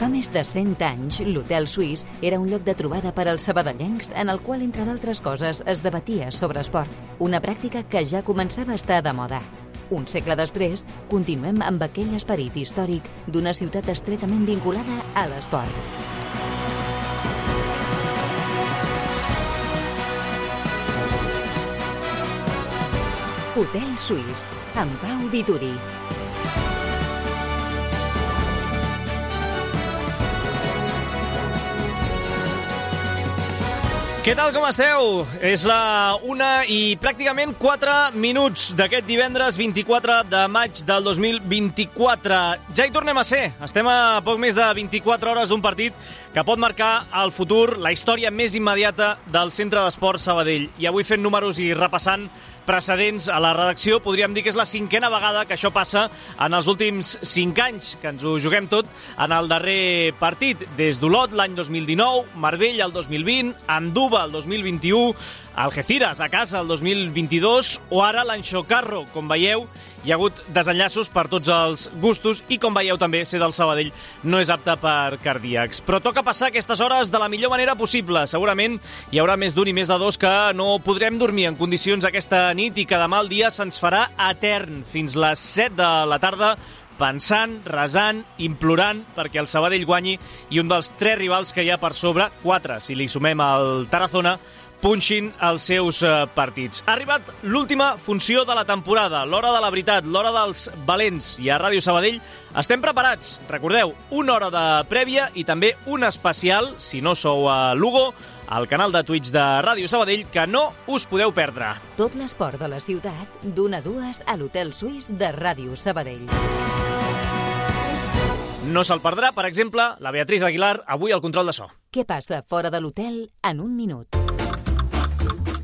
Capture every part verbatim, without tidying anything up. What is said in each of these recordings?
Fa més de cent anys, l'Hotel Suís era un lloc de trobada per als sabadellencs en el qual, entre d'altres coses, es debatia sobre esport, una pràctica que ja començava a estar de moda. Un segle després, continuem amb aquell esperit històric d'una ciutat estretament vinculada a l'esport. Hotel Suís, amb Pau Vituri. Què tal, com esteu? És la una i pràcticament quatre minuts d'aquest divendres vint-i-quatre de maig del dos mil vint-i-quatre. Ja hi tornem a ser. Estem a poc més de vint-i-quatre hores d'un partit que pot marcar el futur, la història més immediata del Centre d'Esports Sabadell. I avui fent números i repassant precedents a la redacció, podríem dir que és la cinquena vegada que això passa en els últims cinc anys, que ens ho juguem tot en el darrer partit. Des d'Olot l'any dos mil dinou, Marbella el dos mil vint, Andúba el dos mil vint-i-u, Algeciras a casa el dos mil vint-i-dos o ara l'Anxocarro. Com veieu, hi ha hagut desenllaços per tots els gustos i, com veieu també, ser del Sabadell no és apte per cardíacs. Però toca passar aquestes hores de la millor manera possible. Segurament hi haurà més d'un i més de dos que no podrem dormir en condicions aquesta nit i que demà el dia se'ns farà etern fins les set de la tarda, pensant, resant, implorant perquè el Sabadell guanyi i un dels tres rivals que hi ha per sobre, quatre si li sumem el Tarazona, punxin els seus partits. Ha arribat l'última funció de la temporada, l'hora de la veritat, l'hora dels valents. I a Ràdio Sabadell estem preparats. Recordeu, una hora de prèvia i també un especial, si no sou a Lugo, al canal de Twitch de Ràdio Sabadell, que no us podeu perdre. Tot l'esport de la ciutat, d'una a dues a l'Hotel Suís de Ràdio Sabadell. No se'l perdrà, per exemple, la Beatriz Aguilar, avui al control de so. Què passa fora de l'hotel en un minut?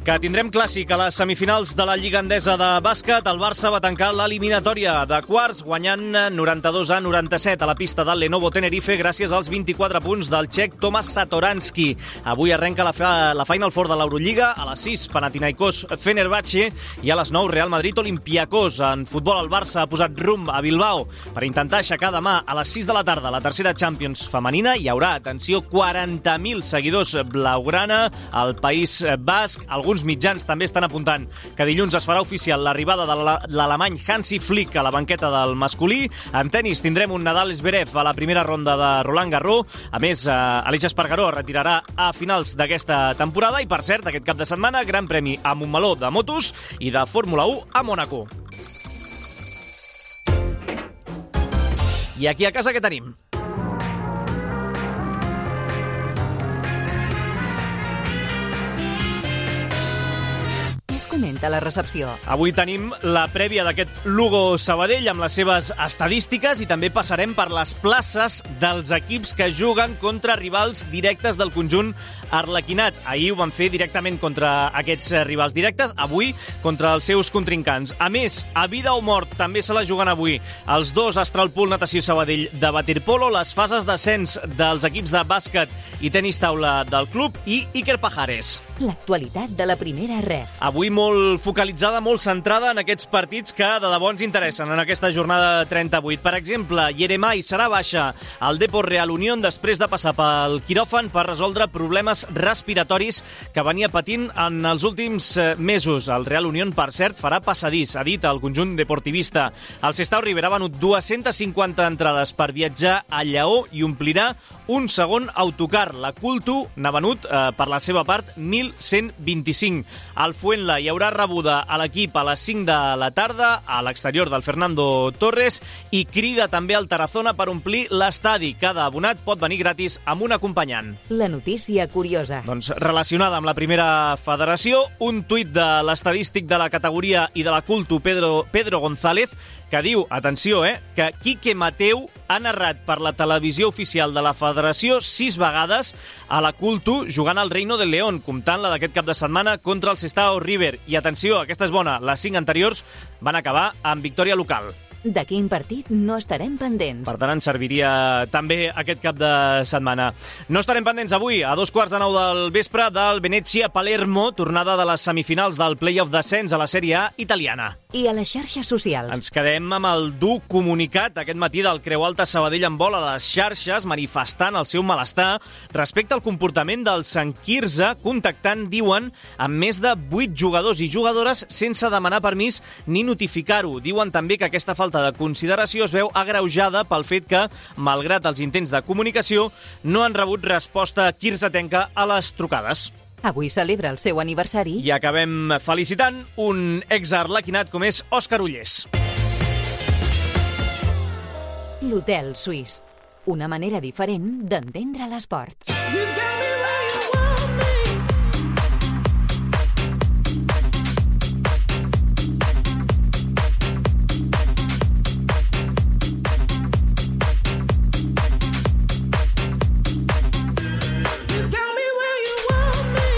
Que tindrem clàssic a les semifinals de la Lliga Endesa de bàsquet. El Barça va tancar l'eliminatòria de quarts guanyant noranta-dos a noranta-set a la pista del Lenovo Tenerife gràcies als vint-i-quatre punts del txec Tomas Satoranski. Avui arrenca la, fa, la Final Four de l'Eurolliga. A les sis, Panathinaikos Fenerbahce, i a les nou, Real Madrid Olympiacos. En futbol, el Barça ha posat rumb a Bilbao per intentar aixecar demà a les sis de la tarda la tercera Champions femenina. Hi haurà, atenció, quaranta mil seguidors blaugrana al País Basc. Alguns mitjans també estan apuntant que dilluns es farà oficial l'arribada de l'alemany Hansi Flick a la banqueta del masculí. En tenis tindrem un Nadal Zverev a la primera ronda de Roland Garros. A més, Aleix Espargaró es retirarà a finals d'aquesta temporada. I, per cert, aquest cap de setmana, gran premi a Montmeló de motos i de Fórmula u a Mònaco. I aquí a casa què tenim? Comenta la recepció. Avui tenim la prèvia d'aquest Lugo Sabadell amb les seves estadístiques i també passarem per les places dels equips que juguen contra rivals directes del conjunt arlequinat. Ahir ho van fer directament contra aquests rivals directes, avui contra els seus contrincants. A més, a vida o mort també se la juguen avui els dos Astralpool Natació Sabadell de waterpolo, les fases d'ascens dels equips de bàsquet i tenis taula del club i Iker Pajares. L'actualitat de la primera ref. Avui molt focalitzada, molt centrada en aquests partits que de debò ens interessen en aquesta jornada trenta-vuit. Per exemple, Yeremai serà baixa al Depor Real Unión després de passar pel quiròfan per resoldre problemes respiratoris que venia patint en els últims mesos. El Real Unión, per cert, farà passadís, ha dit el conjunt deportivista. El Sestao Ribera ha venut dues-centes cinquanta entrades per viatjar a Lleó i omplirà un segon autocar. La Cultu n'ha venut, eh, per la seva part, mil cent vint-i-cinc. Al Fuenla hi haurà rebuda a l'equip a les cinc de la tarda a l'exterior del Fernando Torres i crida també al Tarazona per omplir l'estadi. Cada abonat pot venir gratis amb un acompanyant. La notícia curiosa. Doncs relacionada amb la primera federació, un tuit de l'estadístic de la categoria i de la Cultu, Pedro, Pedro González, que diu, atenció, eh, que Quique Mateu ha narrat per la televisió oficial de la federació sis vegades a la Cultu jugant al Reino del León, comptant la d'aquest cap de setmana contra el Sestao River. I atenció, aquesta és bona, les cinc anteriors van acabar amb victòria local. De quin partit no estarem pendents? Per tant, ens serviria també aquest cap de setmana. No estarem pendents avui, a dos quarts de nou del vespre, del Venezia-Palermo, tornada de les semifinals del play-off d'ascens a la Sèrie A italiana. i a les xarxes socials. Ens quedem amb el dur comunicat aquest matí del Creu Alta Sabadell en vol a les xarxes, manifestant el seu malestar respecte al comportament del Sant Quirze, contactant, diuen, amb més de vuit jugadors i jugadores sense demanar permís ni notificar-ho. Diuen també que aquesta falta de consideració es veu agreujada pel fet que, malgrat els intents de comunicació, no han rebut resposta quirzetenca a les trucades. Avui celebra el seu aniversari. I acabem felicitant un exarlequinat com és Òscar Ullés. L'Hotel Suís. Una manera diferent d'entendre l'esport.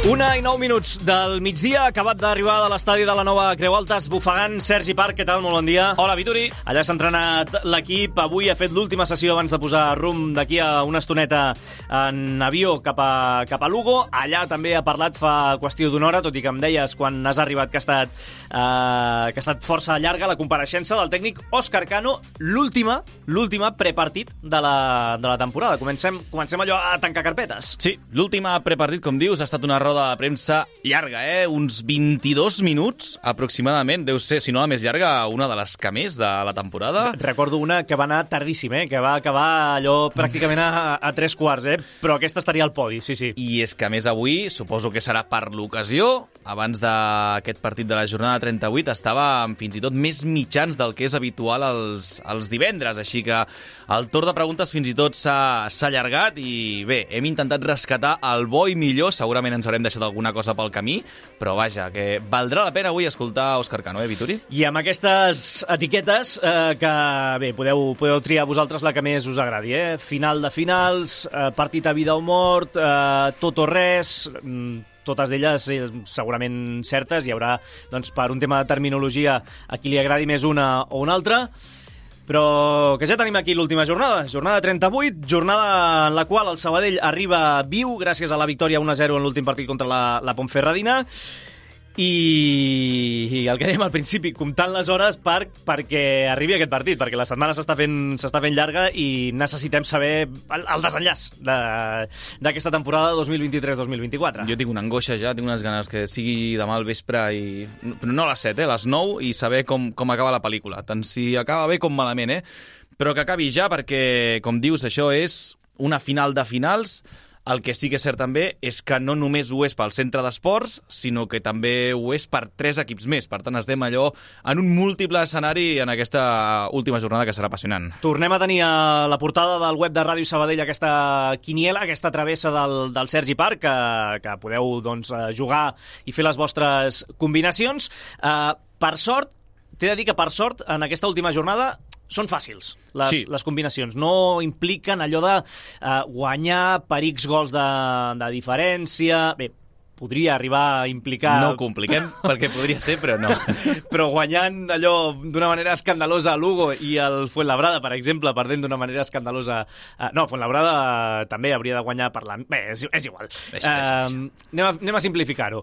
Una i nou minuts del migdia, acabat d'arribar de l'estadi de la nova Creu Alta, esbufegant. Sergi Parc, què tal? Molt bon dia. Hola, Vituri. Allà s'ha entrenat l'equip. Avui ha fet l'última sessió abans de posar rumb d'aquí a una estoneta en avió cap a, cap a Lugo. Allà també ha parlat fa qüestió d'una hora, tot i que em deies quan has arribat que ha estat, eh, que ha estat força llarga la compareixença del tècnic Òscar Cano, l'última, l'última prepartit de la, de la temporada. Comencem, comencem allò a tancar carpetes. Sí, l'última prepartit, com dius, ha estat una roda de premsa llarga, eh? Uns vint-i-dos minuts aproximadament. Deu ser, si no la més llarga, una de les que més de la temporada. Recordo una que va anar tardíssim, eh? Que va acabar allò pràcticament a, a tres quarts, eh? Però aquesta estaria al podi, sí, sí. I és que, a més, avui, suposo que serà per l'ocasió, abans d'aquest partit de la jornada trenta-vuit, estava amb fins i tot més mitjans del que és habitual els, els divendres, així que el torn de preguntes fins i tot s'ha allargat i bé, hem intentat rescatar el bo i millor, segurament ens haurem deixat alguna cosa pel camí, però vaja, que valdrà la pena avui escoltar Òscar Cano, eh, Vituri? I amb aquestes etiquetes eh, que, bé, podeu, podeu triar vosaltres la que més us agradi, eh? Final de finals, eh, partit a vida o mort, eh, tot o res, totes d'elles eh, segurament certes. Hi haurà, doncs, per un tema de terminologia, a qui li agradi més una o una altra. Però que ja tenim aquí l'última jornada, jornada trenta-vuit, jornada en la qual el Sabadell arriba viu gràcies a la victòria un a zero en l'últim partit contra la, la Pontferradina. I, i el que dèiem al principi, comptant les hores per, perquè arribi aquest partit, perquè la setmana s'està fent, s'està fent llarga i necessitem saber el, el desenllaç d'aquesta temporada dos mil vint-i-tres dos mil vint-i-quatre. Jo tinc una angoixa ja, tinc unes ganes que sigui demà al vespre, i no a les set, eh, a les nou, i saber com, com acaba la pel·lícula, tant si acaba bé com malament, eh? Però que acabi ja, perquè, com dius, això és una final de finals. El que sí que és cert també és que no només ho és pel centre d'esports, sinó que també ho és per tres equips més. Per tant, estem allò en un múltiple escenari en aquesta última jornada que serà apassionant. Tornem a tenir a la portada del web de Ràdio Sabadell aquesta quiniela, aquesta travessa del, del Sergi Parc, que, que podeu, doncs, jugar i fer les vostres combinacions. Uh, per sort, t'he de dir que per sort, en aquesta última jornada, són fàcils, les, sí. les combinacions. No impliquen allò de uh, guanyar per X gols de, de diferència. Bé, podria arribar a implicar... No ho compliquem, perquè podria ser, però no. Però guanyant allò d'una manera escandalosa a Lugo i el Fuenlabrada, per exemple, perdent d'una manera escandalosa... Uh, no, Fuenlabrada uh, també hauria de guanyar per la... Bé, és, és igual. Deixa, deixa, deixa. Uh, anem, a, anem a simplificar-ho.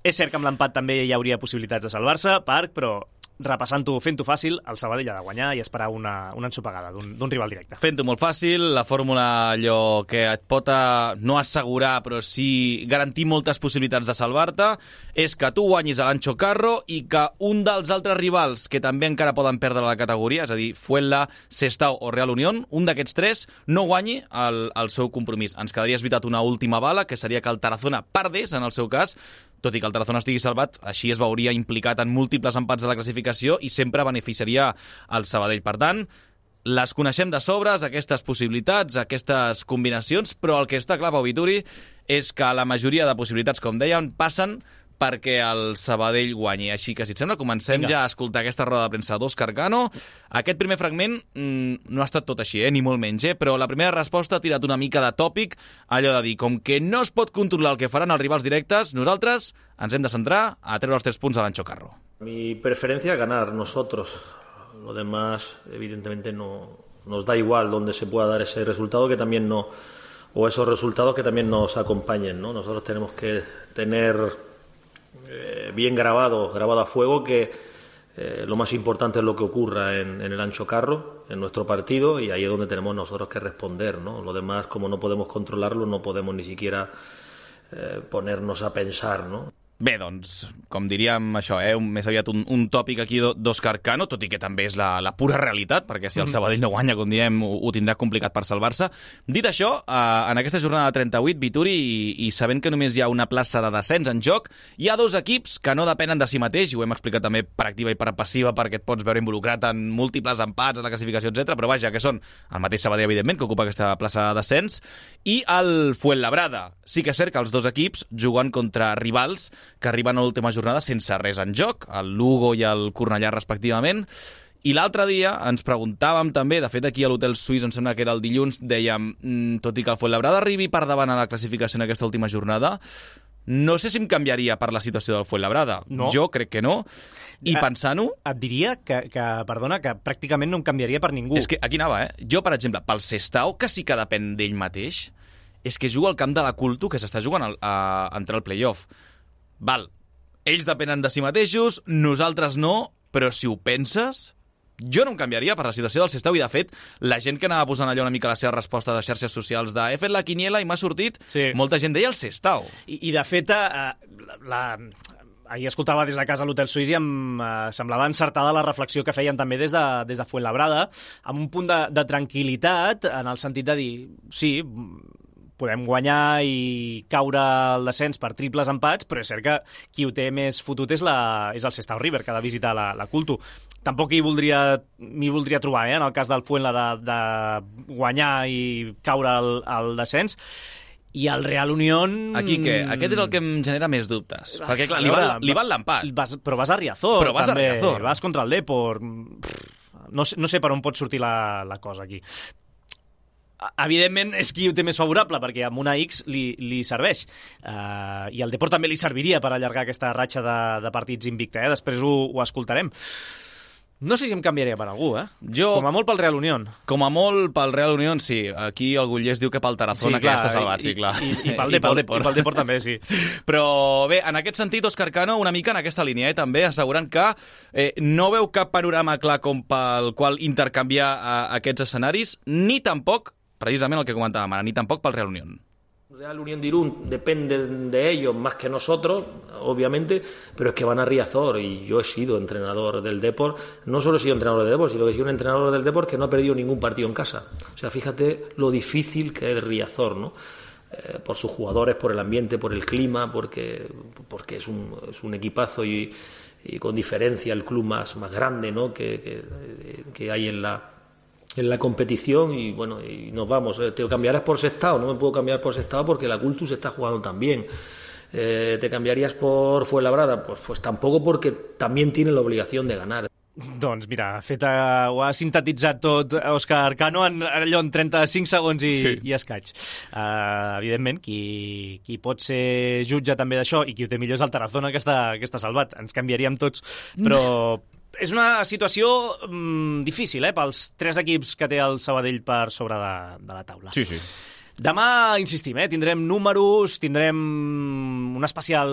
És cert que amb l'empat també hi hauria possibilitats de salvar-se, Parc, però... repassant-ho, fent-ho fàcil, el Sabadell ha de guanyar i esperar una, una ensopegada d'un rival directe. Fent-ho molt fàcil, la fórmula allò que et pot a, no assegurar, però sí garantir moltes possibilitats de salvar-te, és que tu guanyis a l'Ancho Carro i que un dels altres rivals que també encara poden perdre la categoria, és a dir, Fuenla, Sestao o Real Unión, un d'aquests tres no guanyi el, el seu compromís. Ens quedaria esbitat una última bala, que seria que el Tarazona perdés, en el seu cas, tot i que el Tarazona estigui salvat, així es veuria implicat en múltiples empats de la classificació i sempre beneficiaria el Sabadell. Per tant, les coneixem de sobres, aquestes possibilitats, aquestes combinacions, però el que està clar, Pau Vituri, és que la majoria de possibilitats, com dèiem, passen perquè el Sabadell guanyi. Així que, si et sembla, comencem Vinga. ja a escoltar aquesta roda de premsa d'Òscar Cano. Aquest primer fragment mmm, no ha estat tot així, eh? ni molt menys, eh? però la primera resposta ha tirat una mica de tòpic, allò de dir, com que no es pot controlar el que faran els rivals directes, nosaltres ens hem de centrar a treure els tres punts a l'Ancho Carro. Mi preferencia es ganar nosotros. Lo demás, evidentemente, no nos da igual donde se pueda dar ese resultado que también no, o esos resultados que también nos acompañen, ¿no? Nosotros tenemos que tener eh, bien grabado, grabado a fuego que Eh, lo más importante es lo que ocurra en, en el Ancho Carro, en nuestro partido, y ahí es donde tenemos nosotros que responder, ¿no? Lo demás, como no podemos controlarlo, no podemos ni siquiera eh, ponernos a pensar, ¿no? Bé, doncs, com diríem això, eh, un, més aviat un, un tòpic aquí d'Òscar Cano, tot i que també és la, la pura realitat, perquè si el Sabadell no guanya, com diem, ho, ho tindrà complicat per salvar-se. Dit això, eh, en aquesta jornada de trenta-vuit, Vituri, i, i sabent que només hi ha una plaça de descens en joc, hi ha dos equips que no depenen de si mateix, i ho hem explicat també per activa i per passiva, perquè et pots veure involucrat en múltiples empats, en la classificació, etcètera. Però vaja, que són el mateix Sabadell, evidentment, que ocupa aquesta plaça de descens, i el Fuenlabrada. Sí que és cert que els dos equips juguen contra rivals que arriben a l'última jornada sense res en joc, el Lugo i el Cornellà respectivament. I l'altre dia ens preguntàvem també, de fet aquí a l'Hotel Suís, em sembla que era el dilluns, dèiem, mmm, tot i que el Fuenlabrada arribi per davant a la classificació en aquesta última jornada, no sé si em canviaria per la situació del Fuenlabrada. No. Jo crec que no. I pensant-ho... Et diria que, que, perdona, que pràcticament no em canviaria per ningú. És que aquí anava, eh? Jo, per exemple, pel Sestao, que sí que depèn d'ell mateix, és que juga al camp de la Culto, que s'està jugant al, a, a entrar al play-off. Val, ells depenen de si mateixos, nosaltres no, però si ho penses, jo no em canviaria per la situació del Sestao, i de fet, la gent que anava posant allò una mica la seva resposta de xarxes socials de he fet la quiniela i m'ha sortit, sí. Molta gent deia el Sestao. I, i de fet, eh, la, la, ahir escoltava des de casa a l'Hotel Suís i em eh, semblava encertada la reflexió que feien també des de, des de Fuenlabrada, amb un punt de, de tranquil·litat, en el sentit de dir, sí, podem guanyar i caure al descens per triples empats, però és cert que qui ho té més fotut és, la, és el Sestao River, que ha de visitar la, la Culto. Tampoc m'hi voldria, voldria trobar, eh, en el cas del Fuenla, de, de guanyar i caure al, al descens. I el Real Unión... Aquí què? Aquest és el que em genera més dubtes. Perquè, clar, li val, li val l'empat. Però vas a Riazor, però vas també. A Riazor. Vas contra el Depor. No, no sé per on pot sortir la, la cosa aquí. Evidentment és qui ho té més favorable, perquè amb una X li, li serveix. Uh, I al Depor també li serviria per allargar aquesta ratxa de, de partits invicta. Eh? Després ho, ho escoltarem. No sé si em canviaria per algú, eh? Jo, com a molt pel Real Unión. Com a molt pel Real Unión, sí. Aquí el Gullers diu que pel Tarazona, sí, clar, que ja està salvat, i, sí, clar. I, i, i, pel Depor, I, pel Depor. I pel Depor també, sí. Però bé, en aquest sentit, Òscar Cano, una mica en aquesta línia, eh, també, assegurant que eh, no veu cap panorama clar com pel qual intercanviar eh, aquests escenaris, ni tampoc, precisament el que comentàvem ara, ni tampoc pel Real Unión. Real Unión de Irún depende de ellos más que nosotros, obviamente, pero es que van a Riazor y yo he sido entrenador del Depor, no solo he sido entrenador del Depor, sino que he sido un entrenador del Depor que no ha perdido ningún partido en casa. O sea, fíjate lo difícil que es Riazor, ¿no? Eh, por sus jugadores, por el ambiente, por el clima, porque, porque es, un, es un equipazo y, y con diferencia el club más, más grande, ¿no? que, que, que hay en la... en la competición y bueno, y nos vamos, eh, te cambiarás por Sestao, no me puedo cambiar por Sestao porque la Cultus está jugando también. Eh, ¿te cambiarías por Fuenlabrada? Pues, pues tampoco, porque también tiene la obligación de ganar. Doncs mira, fet, uh, ho ha sintetitzat tot Òscar Cano en, allò en trenta-cinc segons i, sí. i escaig. Uh, evidentment, qui, qui pot ser jutge també d'això i qui ho té millor és el Tarazona, que està, que està salvat. Ens canviaríem tots, però... És una situació mm, difícil, eh, pels tres equips que té el Sabadell per sobre de, de la taula. Sí, sí. Demà, insistim, eh, tindrem números, tindrem un especial,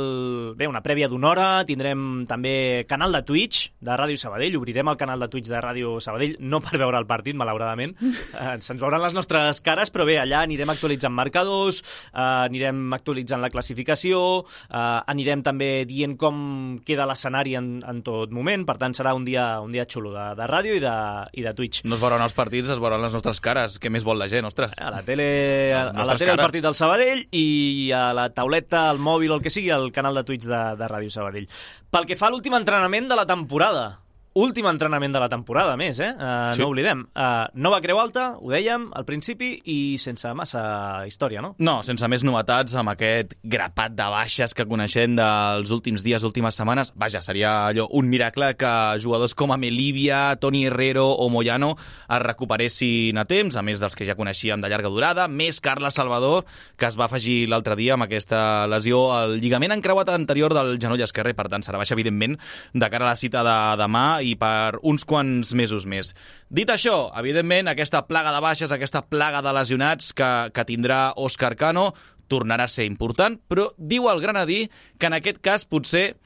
bé, una prèvia d'una hora, tindrem també canal de Twitch de Ràdio Sabadell, obrirem el canal de Twitch de Ràdio Sabadell, no per veure el partit, malauradament, eh, se'ns veuran les nostres cares, però bé, allà anirem actualitzant marcadors, eh, anirem actualitzant la classificació, eh, anirem també dient com queda l'escenari en, en tot moment, per tant serà un dia, un dia xulo de, de ràdio i de, i de Twitch. No es veuran els partits, es veuran les nostres cares, què més vol la gent, ostres? A la tele... a la tele el partit del Sabadell i a la tauleta, al mòbil o el que sigui, el canal de Twitch de, de Ràdio Sabadell. Pel que fa a l'últim entrenament de la temporada, últim entrenament de la temporada, més, eh? Uh, sí. No oblidem. Uh, nova Creu Alta, ho dèiem al principi, i sense massa història, no? No, sense més novetats, amb aquest grapat de baixes que coneixem dels últims dies, últimes setmanes. Vaja, seria allò un miracle que jugadors com Amelivia, Toni Herrero o Moyano es recuperessin a temps, a més dels que ja coneixíem de llarga durada, més Carles Salvador, que es va afegir l'altre dia amb aquesta lesió al lligament encreuat anterior del genoll esquerre, per tant serà baixa, evidentment, de cara a la cita de demà i per uns quants mesos més. Dit això, evidentment, aquesta plaga de baixes, aquesta plaga de lesionats que, que tindrà Òscar Cano tornarà a ser important, però diu el Granadí que en aquest cas potser,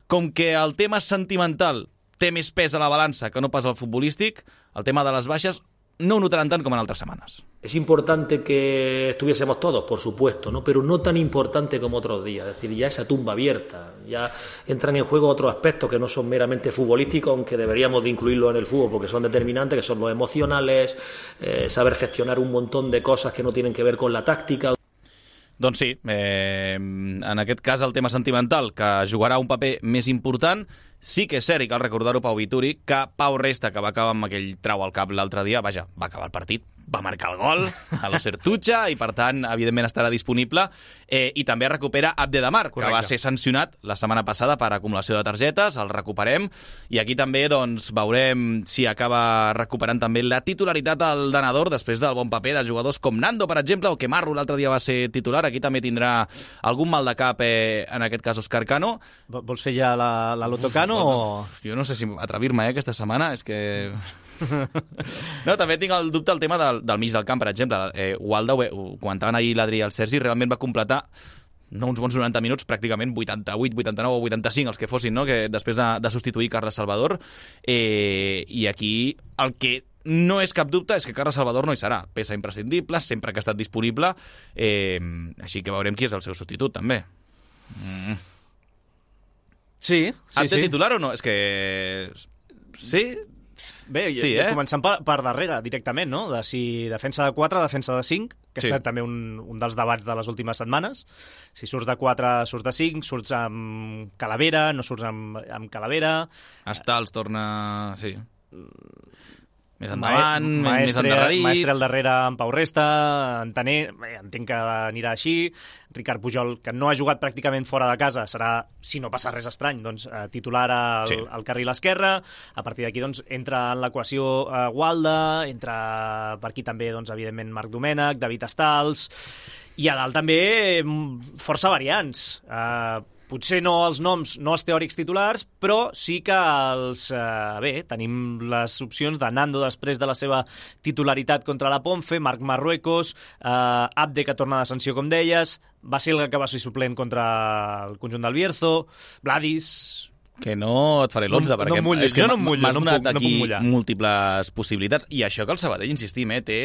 com que el tema sentimental té més pes a la balança que no pas al futbolístic, el tema de les baixes no ho notaran tant com en altres setmanes. Es importante que estuviésemos todos, por supuesto, ¿no? Pero no tan importante como otros días. Es decir, ya esa tumba abierta, ya entran en juego otros aspectos que no son meramente futbolísticos, aunque deberíamos de incluirlos en el fútbol porque son determinantes, que son los emocionales, eh, saber gestionar un montón de cosas que no tienen que ver con la táctica. Doncs sí, eh, en aquest cas el tema sentimental, que jugarà un paper més important. Sí que és cert, i cal recordar-ho, Pau Vituri, que Pau Resta, que va acabar amb aquell trau al cap l'altre dia, vaja, va acabar el partit, va marcar el gol a l'Osertucha i, per tant, evidentment estarà disponible. Eh, I també recupera Abdedamar, que va ser sancionat la setmana passada per acumulació de targetes, el recuperem. I aquí també doncs, veurem si acaba recuperant també la titularitat al Danador després del bon paper de jugadors com Nando, per exemple, o que Marro l'altre dia va ser titular. Aquí també tindrà algun mal de cap, eh, en aquest cas, Òscar Cano. Vols fer ja la, la Lotocano? O... Jo no sé si atrevir-me, eh, aquesta setmana, és que... No, també tinc el dubte al tema del, del mig del camp, per exemple. Eh, Walda, ho, ho comentaven ahir l'Adri i el Sergi, realment va completar no uns bons noranta minuts, pràcticament vuitanta-vuit, vuitanta-nou o vuitanta-cinc, els que fossin, no? Que després de, de substituir Carles Salvador. Eh, I aquí el que no és cap dubte és que Carles Salvador no hi serà. Peça imprescindible, sempre que ha estat disponible. Eh, així que veurem qui és el seu substitut, també. Mm. Sí, sí, sí. sí. Titular o no? És que... Sí? Bé, sí, eh? començant per, per darrere, directament, no? De si defensa de quatre, defensa de cinc, que ha sí. estat també un, un dels debats de les últimes setmanes. Si surts de quatre, surts de cinc, surts amb Calavera, no surts amb, amb Calavera... Estals torna... Sí. Més endavant, Ma més endarrerit... Maestre al darrere amb Pau Resta, Antaner, bé, entenc que anirà així. Ricard Pujol, que no ha jugat pràcticament fora de casa, serà, si no passa res estrany, doncs, eh, titular al, sí. al carril esquerre. A partir d'aquí doncs, entra en l'equació eh, Walda, entra per aquí també, doncs, evidentment, Marc Domènech, David Estals, i a dalt també força variants. Eh, Potser no els noms, no els teòrics titulars, però sí que els... Eh, bé, tenim les opcions de Nando després de la seva titularitat contra la Ponfe, Marc Marruecos, eh, Abde, que torna de sanció, com deies, Basilga, que va ser suplent contra el conjunt del Bierzo, Vladis... Que no et faré l'onze, no, perquè no és que no m'has no donat no aquí no múltiples possibilitats. I això que el Sabadell, insistim, eh, té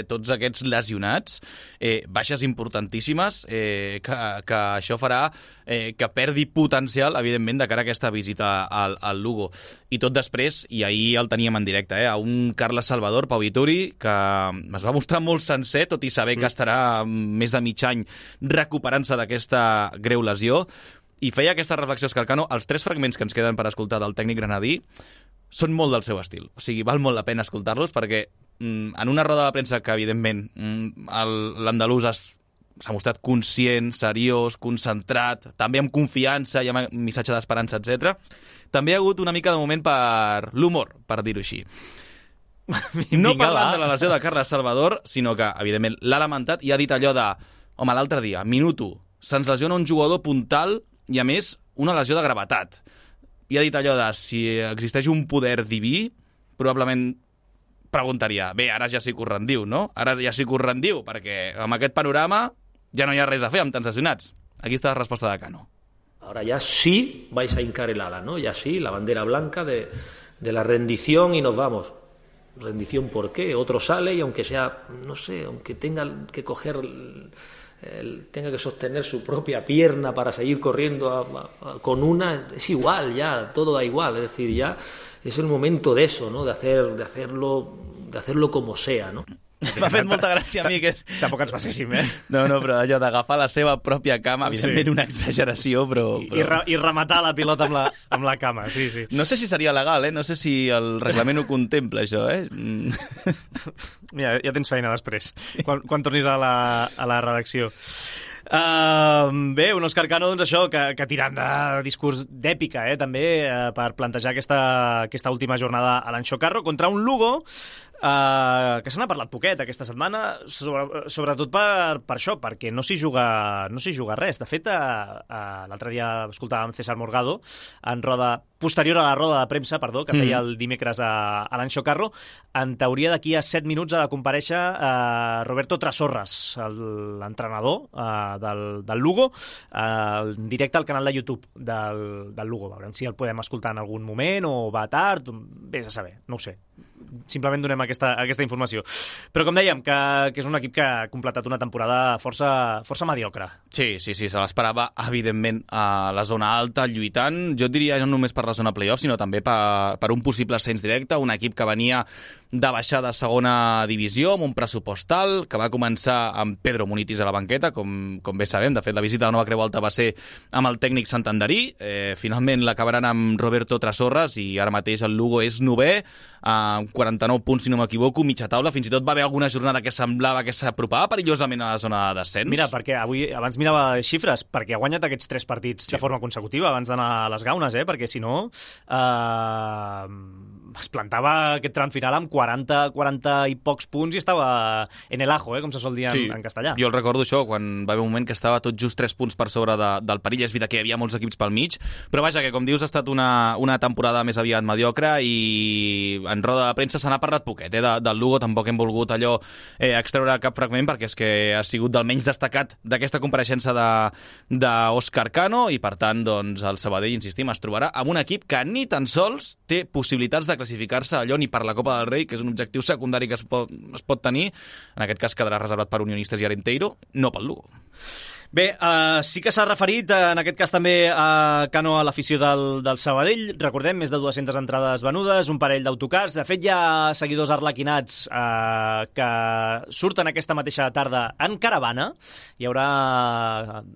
tots aquests lesionats, eh, baixes importantíssimes, eh, que, que això farà eh, que perdi potencial, evidentment, de cara a aquesta visita al, al Lugo. I tot després, i ahir el teníem en directe, eh, a un Carles Salvador, Pau Vituri, que es va mostrar molt sencer, tot i saber sí. que estarà més de mig any recuperant-se d'aquesta greu lesió. I feia aquesta reflexió Escarcano. Els tres fragments que ens queden per escoltar del tècnic granadí són molt del seu estil. O sigui, val molt la pena escoltar-los perquè mm, en una roda de premsa que, evidentment, mm, l'andalús s'ha mostrat conscient, seriós, concentrat, també amb confiança i amb missatge d'esperança, etcètera. També hi ha hagut una mica de moment per l'humor, per dir-ho així. No parlant de la lesió de Carles Salvador, sinó que, evidentment, l'ha lamentat i ha dit allò de home, l'altre dia, minut u, se'ns lesiona un jugador puntal i, a més, una lesió de gravetat. I ha dit allò de si existeix un poder diví, probablement preguntaria, bé, ara ja sí que us rendiu, no? Ara ja sí que us rendiu, perquè amb aquest panorama ja no hi ha res a fer amb tants lesionats. Aquí està la resposta de Cano. Ahora ya sí vais a hincar el ala, ¿no? Ya sí, la bandera blanca de, de la rendición y nos vamos. ¿Rendición por qué? Otro sale y aunque sea, no sé, aunque tenga que coger... Él tenga que sostener su propia pierna para seguir corriendo a, a, a, con una, es igual ya, todo da igual, es decir, ya es el momento de eso, ¿no? De hacer, de hacerlo, de hacerlo como sea, ¿no? M'ha fet molta gràcia a mi que és... Tampoc ens passéssim, eh? No, no, però allò d'agafar la seva pròpia cama, evidentment sí. Una exageració, però... I, però... I, re, I rematar la pilota amb la, amb la cama, sí, sí. No sé si seria legal, eh? No sé si el reglament ho contempla, això, eh? Mira, ja tens feina després, quan, quan tornis a la, a la redacció. Uh, bé, un Òscar Cano, doncs això, que, que tirant de discurs d'èpica, eh, també, uh, per plantejar aquesta, aquesta última jornada a l'Anxo Carro contra un Lugo Uh, que se n'ha parlat poquet aquesta setmana, sobre, sobretot per, per això, perquè no s'hi juga, no s'hi juga res. De fet, uh, uh, l'altre dia escoltàvem César Morgado en roda, posterior a la roda de premsa, perdó, que feia el dimecres a, a l'Anxo Carro. En teoria, d'aquí a set minuts ha de comparèixer uh, Roberto Trasorras, l'entrenador uh, del, del Lugo, uh, en directe al canal de YouTube del, del Lugo. Veurem si el podem escoltar en algun moment o va tard, vés a saber, no ho sé. Simplement donem aquesta, aquesta informació. Però com dèiem, que, que és un equip que ha completat una temporada força, força mediocre. Sí, sí, sí, se l'esperava, evidentment, a la zona alta, lluitant. Jo diria no només per la zona playoff, sinó també per, per un possible ascens directe, un equip que venia de baixar de segona divisió amb un pressupost alt, que va començar amb Pedro Munitis a la banqueta, com, com bé sabem. De fet, la visita de Nova Creu Alta va ser amb el tècnic santanderí. Eh, finalment l'acabaran amb Roberto Trasorras i ara mateix el Lugo és novè, amb quaranta-nou punts, si no m'equivoco, mitja taula. Fins i tot va haver alguna jornada que semblava que s'apropava perillosament a la zona de descens. Mira, perquè avui, abans mirava xifres, perquè ha guanyat aquests tres partits sí. de forma consecutiva abans d'anar a les gaunes, eh? Perquè si no eh, es plantava aquest tram final amb quaranta, quaranta i pocs punts i estava en el ajo, eh? Com se sol dir en, sí. en castellà. Jo el recordo això, quan va haver un moment que estava tot just tres punts per sobre de, del perill. És veritat que hi havia molts equips pel mig, però vaja, que com dius ha estat una, una temporada més aviat mediocre i en roda de premsa se n'ha parlat poquet, eh? De, del Lugo tampoc hem volgut allò eh, extreure cap fragment perquè és que ha sigut del menys destacat d'aquesta compareixença d'Òscar Cano i per tant doncs el Sabadell, insistim, es trobarà amb un equip que ni tan sols té possibilitats de classificar-se allò ni per la Copa del Rei, que és un objectiu secundari que es pot, es pot tenir, en aquest cas quedarà reservat per Unionistes i Arenteiro, no pel Lugo. Bé, uh, sí que s'ha referit, uh, en aquest cas també a Cano a l'afició del, del Sabadell. Recordem, més de dues-centes entrades venudes, un parell d'autocars. De fet, hi ha seguidors arlequinats uh, que surten aquesta mateixa tarda en caravana. Hi haurà,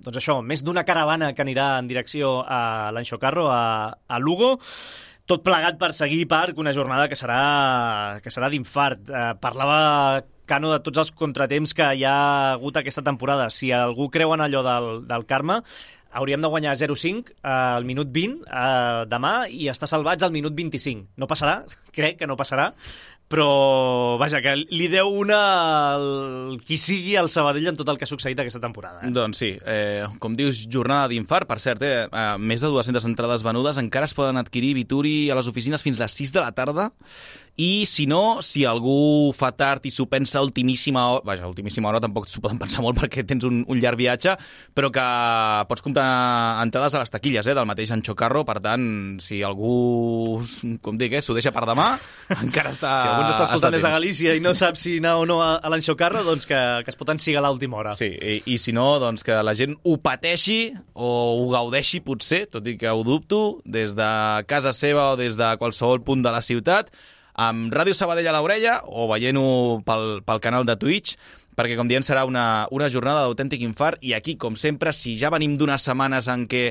doncs això, més d'una caravana que anirà en direcció a l'Anxo Carro, a, a Lugo. Tot plegat per seguir Parc, una jornada que serà, que serà d'infart. Eh, parlava Cano de tots els contratemps que hi ha hagut aquesta temporada. Si algú creu en allò del, del Carme, hauríem de guanyar zero cinc al minut vint eh, demà i estar salvats al minut vint-i-cinc. No passarà, crec que no passarà, però vaja, que li deu una el, qui sigui al Sabadell en tot el que ha succeït aquesta temporada. Eh? Doncs sí, eh, com dius, jornada d'infart, per cert, eh, eh, més de dues-centes entrades venudes, encara es poden adquirir Vituri a les oficines fins a les sis de la tarda, i si no, si algú fa tard i s'ho pensa a ultimíssima hora, vaja, a ultimíssima hora tampoc s'ho poden pensar molt perquè tens un, un llarg viatge, però que pots comprar entrades a les taquilles eh, del mateix Anxo Carro, per tant, si algú, com dic, eh, s'ho deixa per demà, encara està... Si algú ens està escoltant des de Galícia i no sap si anar o no a, a l'Anxo Carro, doncs que, que es pot ensigar a l'última hora. Sí, i, i si no, doncs que la gent ho pateixi o ho gaudeixi potser, tot i que ho dubto, des de casa seva o des de qualsevol punt de la ciutat, amb Ràdio Sabadell a l'orella o veient-ho pel, pel canal de Twitch, perquè, com diem, serà una, una jornada d'autèntic infart. I aquí, com sempre, si ja venim d'unes setmanes en què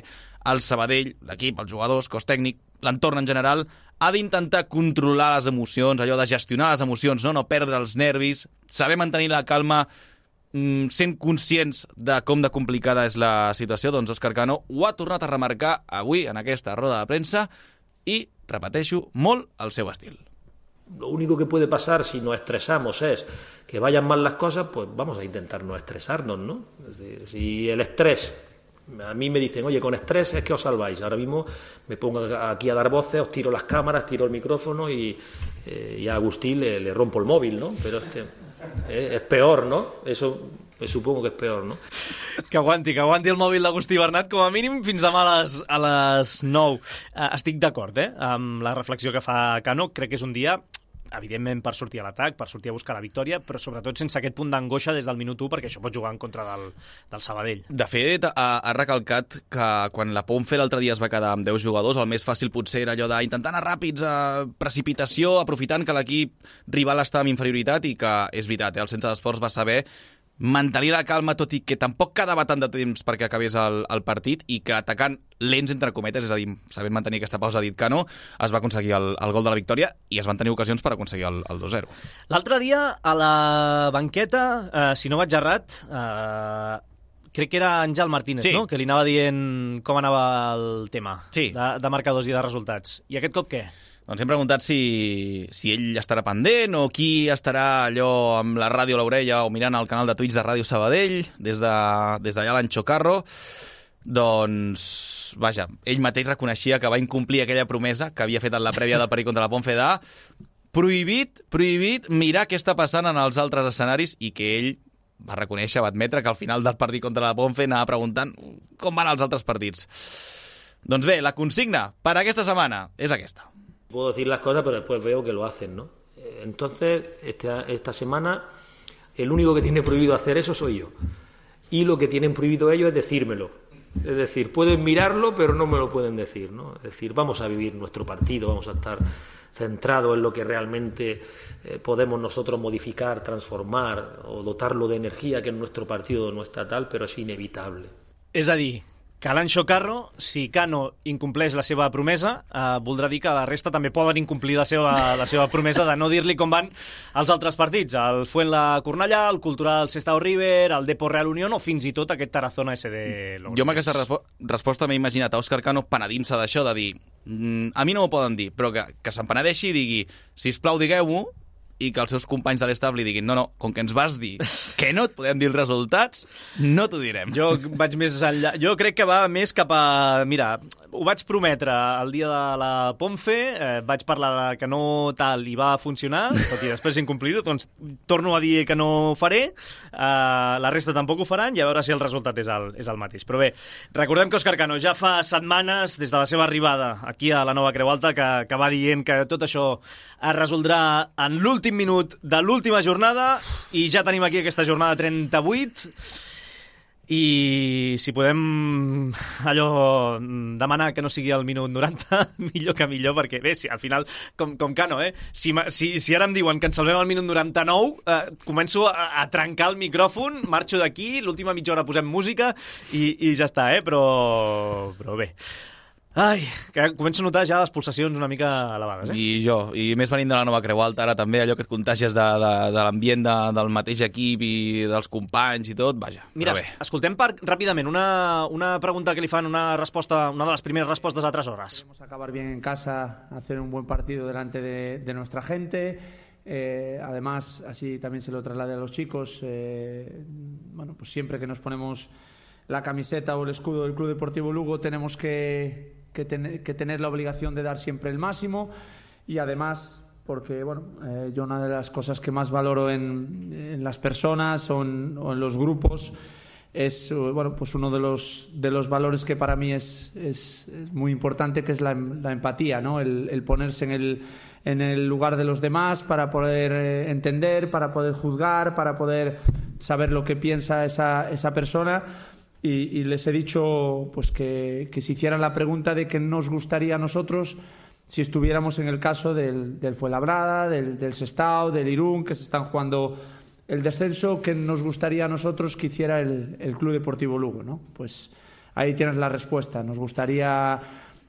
el Sabadell, l'equip, els jugadors, cos tècnic, l'entorn en general, ha d'intentar controlar les emocions, allò de gestionar les emocions, no, no perdre els nervis, saber mantenir la calma, sent conscients de com de complicada és la situació, doncs Òscar Cano ho ha tornat a remarcar avui en aquesta roda de premsa i, repeteixo, molt al seu estil. Lo único que puede pasar si nos estresamos es que vayan mal las cosas, pues vamos a intentar no estresarnos, ¿no? Es decir, si el estrés, a mí me dicen, oye, con estrés es que os salváis. Ahora mismo me pongo aquí a dar voces, os tiro las cámaras, tiro el micrófono y, eh, y a Agustín le, le rompo el móvil, ¿no? Pero es que eh, es peor, ¿no? Eso... Pues supongo que és peor, no? Que aguanti, que aguanti el mòbil d'Agustí Bernat, com a mínim fins demà a les, a les nou. Uh, estic d'acord, eh?, amb la reflexió que fa Cano. Crec que és un dia, evidentment, per sortir a l'atac, per sortir a buscar la victòria, però sobretot sense aquest punt d'angoixa des del minut u, perquè això pot jugar en contra del, del Sabadell. De fet, ha, ha recalcat que quan la Ponfe l'altre dia es va quedar amb deu jugadors, el més fàcil potser era allò d'intentar anar ràpids, a precipitació, aprofitant que l'equip rival està amb inferioritat, i que, és veritat, eh, el centre d'esports va saber mantenir la calma, tot i que tampoc quedava tant de temps perquè acabés el, el partit, i que atacant lents, entre cometes, és a dir, sabent mantenir aquesta pausa, ha dit Cano, es va aconseguir el, el gol de la victòria i es van tenir ocasions per aconseguir el, el dos zero. L'altre dia, a la banqueta, eh, si no vaig errat, eh, crec que era Àngel Martínez, sí, no?, que li anava dient com anava el tema, sí, de, de marcadors i de resultats. I aquest cop què? Ens hem preguntat si, si ell estarà pendent o qui estarà allò amb la ràdio a l'orella o mirant el canal de Twitch de Ràdio Sabadell des d'allà de, des a l'Anxo Carro. Doncs, vaja, ell mateix reconeixia que va incomplir aquella promesa que havia fet en la prèvia del partit contra la Ponferrada. Prohibit, prohibit mirar què està passant en els altres escenaris i que ell va reconèixer, va admetre que al final del partit contra la Ponfe anava preguntant com van els altres partits. Doncs bé, la consigna per aquesta setmana és aquesta. Puedo decir las cosas, pero después veo que lo hacen, ¿no? Entonces, esta, esta semana, el único que tiene prohibido hacer eso soy yo. Y lo que tienen prohibido ellos es decírmelo. Es decir, pueden mirarlo, pero no me lo pueden decir, ¿no? Es decir, vamos a vivir nuestro partido, vamos a estar centrados en lo que realmente eh, podemos nosotros modificar, transformar o dotarlo de energía, que en nuestro partido no está tal, pero es inevitable. És a dir, que l'Anxo Carro, si Cano incompleix la seva promesa, eh, voldrà dir que la resta també poden incomplir la seva, la seva promesa de no dir-li com van els altres partits. El Fuenla-Cornellà, el Cultural Sestao River, el Depor Real Unión o fins i tot aquest Tarazona S D Logroñés. Jo amb aquesta respo resposta m'he imaginat a Òscar Cano penedint-se d'això, de dir mm, a mi no m'ho poden dir, però que, que se'n penedeixi i digui, sisplau, digueu-m'ho, i que els seus companys de l'estable li diguin no, no, com que ens vas dir que no et podem dir els resultats, no t'ho direm. Jo vaig més enllà. Jo crec que va més cap a... Mira, ho vaig prometre el dia de la Ponfe, eh, vaig parlar de que no tal i va funcionar, tot i després incomplir-ho, doncs torno a dir que no ho faré, eh, la resta tampoc ho faran i a veure si el resultat és el, és el mateix. Però bé, recordem que Òscar Cano ja fa setmanes, des de la seva arribada aquí a la Nova Creu Alta, que, que va dient que tot això es resoldrà en l'últim minut de l'última jornada i ja tenim aquí aquesta jornada trenta-vuit i si podem allò demanar que no sigui el minut noranta millor que millor, perquè bé, si al final com, com Cano, eh? Si, si, si ara em diuen que ens salvem el minut noranta-nou, eh, començo a, a trencar el micròfon, marxo d'aquí, l'última mitja hora posem música i, i ja està, eh? Però, però bé. Ai, que començo a notar ja les pulsacions una mica elevades, eh? I jo, i més venint de la Nova Creu Alta, ara també allò que et contagies de, de, de l'ambient de, del mateix equip i dels companys i tot, vaja. Mira, escoltem per, ràpidament una, una pregunta que li fan, una resposta, una de les primeres respostes a tres hores. Queremos acabar bien en casa, hacer un buen partido delante de, de nuestra gente. Eh, además, así también se lo traslade a los chicos. Eh, bueno, pues siempre que nos ponemos la camiseta o el escudo del Club Deportivo Lugo tenemos que Que, ten, que tener la obligación de dar siempre el máximo y además porque bueno, eh, yo una de las cosas que más valoro en, en las personas o en, o en los grupos es bueno, pues uno de los, de los valores que para mí es, es, es muy importante, que es la, la empatía, ¿no? el, el ponerse en el, en el lugar de los demás para poder eh, entender, para poder juzgar, para poder saber lo que piensa esa, esa persona. Y, y les he dicho pues que, que se hicieran la pregunta de qué nos gustaría a nosotros si estuviéramos en el caso del, del Fuenlabrada, del, del Sestao, del Irún, que se están jugando el descenso, qué nos gustaría a nosotros que hiciera el, el Club Deportivo Lugo, ¿no? Pues ahí tienes la respuesta. Nos gustaría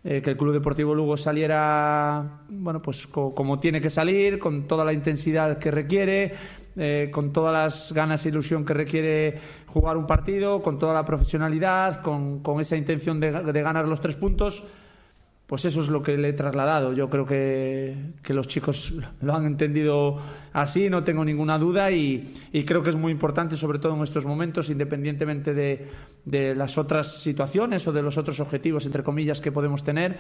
eh, que el Club Deportivo Lugo saliera bueno, pues co como tiene que salir, con toda la intensidad que requiere, Eh, con todas las ganas e ilusión que requiere jugar un partido, con toda la profesionalidad, con, con esa intención de, de ganar los tres puntos. Pues eso es lo que le he trasladado. Yo creo que, que los chicos lo han entendido así, no tengo ninguna duda, y, y creo que es muy importante, sobre todo en estos momentos, independientemente de, de las otras situaciones o de los otros objetivos, entre comillas, que podemos tener,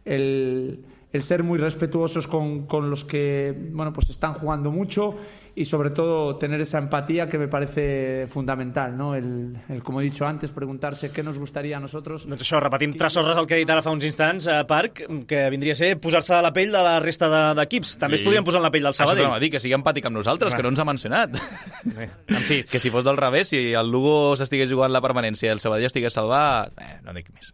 el, el ser muy respetuosos con, con los que bueno, pues están jugando mucho y sobre todo tener esa empatía que me parece fundamental, no? El, el, com he dit antes, preguntar-se què nos gustaría a nosotros. Doncs això, repetim tres hores el que he dit ara fa uns instants, a Parc, que vindria a ser posar-se a la pell de la resta d'equips. De, També sí. Es podrien posar en la pell del Sabadell. Això t'anava a dir, que sigui empàtic amb nosaltres, que no ens ha mencionat. Bé, en fi. Que si fos del revés, si el Lugo s'estigués jugant la permanència i el Sabadell estigués salvat, eh, no dic més.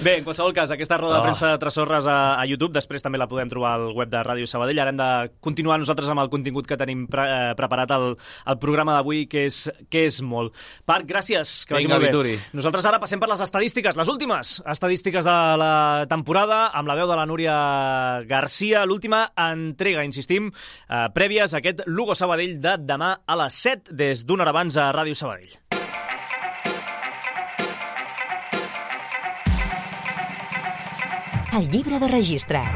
Bé, en qualsevol cas, aquesta roda oh. de premsa de tres hores a, a YouTube, després també la podem trobar al web de Ràdio Sabadell. Ara hem de continuar nosaltres amb el contingut que tenim pre eh, preparat al, al programa d'avui, que és, que és molt. Parc, gràcies, que vagi Vinga, molt bé. Vituri. Nosaltres ara passem per les estadístiques, les últimes estadístiques de la temporada, amb la veu de la Núria Garcia, l'última entrega, insistim, eh, prèvies a aquest Lugo Sabadell de demà a les set, des d'una hora abans a Ràdio Sabadell. El llibre de registre.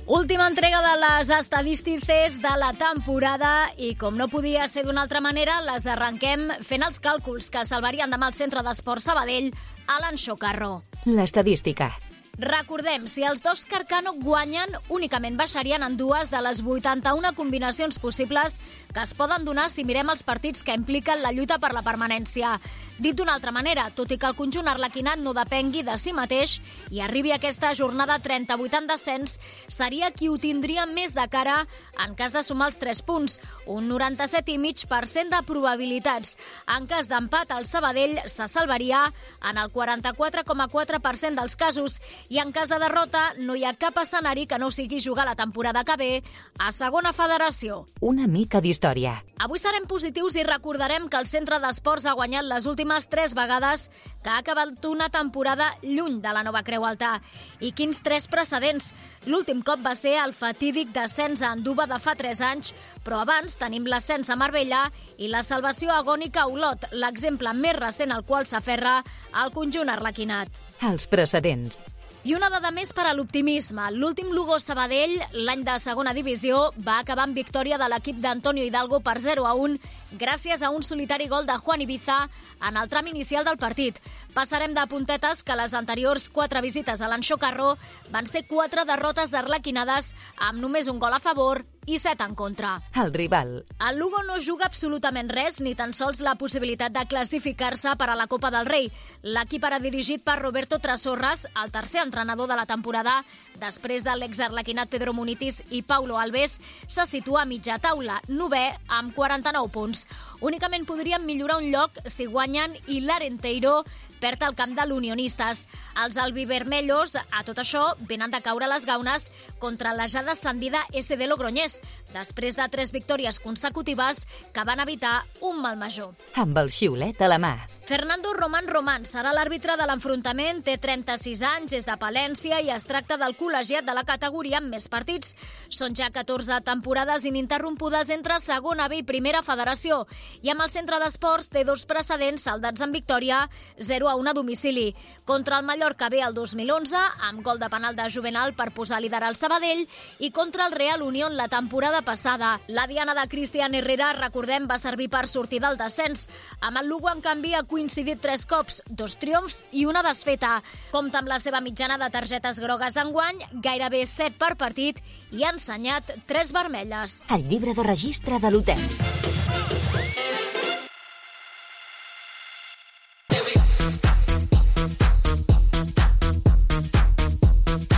Última entrega de les estadístiques de la temporada i, com no podia ser d'una altra manera, les arrenquem fent els càlculs que salvarien demà al Centre d'Esports Sabadell a l'Anxo Carro. L'estadística. Recordem, si els dos Carcano guanyen, únicament baixarien en dues de les vuitanta-una combinacions possibles que es poden donar si mirem els partits que impliquen la lluita per la permanència. Dit d'una altra manera, tot i que el conjunt arlequinat no depengui de si mateix i arribi a aquesta jornada trenta-vuit en descens, seria qui ho tindria més de cara en cas de sumar els tres punts, un noranta-set coma cinc per cent de probabilitats. En cas d'empat, el Sabadell se salvaria en el quaranta-quatre coma quatre per cent dels casos i en cas de derrota no hi ha cap escenari que no sigui jugar la temporada que ve a segona federació. Una mica d'història. Avui serem positius i recordarem que el Centre d'Esports ha guanyat les últimes tres vegades que ha acabat una temporada lluny de la nova Creu Alta. I quins tres precedents! L'últim cop va ser el fatídic descens a Anduba de fa tres anys, però abans tenim l'ascens a Marbella i la salvació agònica a Olot, l'exemple més recent al qual s'aferra el conjunt arlequinat. Els precedents. I una dada més per a l'optimisme. L'últim Lugo Sabadell, l'any de segona divisió, va acabar amb victòria de l'equip d'Antonio Hidalgo per zero a un gràcies a un solitari gol de Juan Ibiza en el tram inicial del partit. Passarem de puntetes que les anteriors quatre visites a l'Anxo Carro van ser quatre derrotes arlequinades amb només un gol a favor i set en contra. El rival. El Lugo no juga absolutament res, ni tan sols la possibilitat de classificar-se per a la Copa del Rei. L'equip era dirigit per Roberto Trasorras, el tercer entrenador de la temporada, després de l'exarlequinat Pedro Munitis i Paulo Alves, se situa a mitja taula, novè amb quaranta-nou punts. Únicament podrien millorar un lloc si guanyen i l'Arenteiro perd el camp de l'Unionistes. Els albivermellos, a tot això, venen de caure les gaunes contra la ja descendida S D Logroñés, després de tres victòries consecutives que van evitar un mal major. Amb el xiulet a la mà. Fernando Román Román serà l'àrbitre de l'enfrontament, té trenta-sis anys, és de Palència i es tracta del col·legiat de la categoria amb més partits. Són ja catorze temporades ininterrompudes entre segona B i primera federació i amb el Centre d'Esports té dos precedents saldats en victòria, zero a un a domicili. Contra el Mallorca B el dos mil onze, amb gol de penal de Juvenal per posar a liderar el Sabadell, i contra el Real Unión la temporada passada. La diana de Cristian Herrera, recordem, va servir per sortir del descens. Amb el Lugo, en canvi, ha coincidit tres cops, dos triomfs i una desfeta. Compta amb la seva mitjana de targetes grogues enguany, gairebé set per partit, i ha ensenyat tres vermelles. El llibre de registre de l'hotel.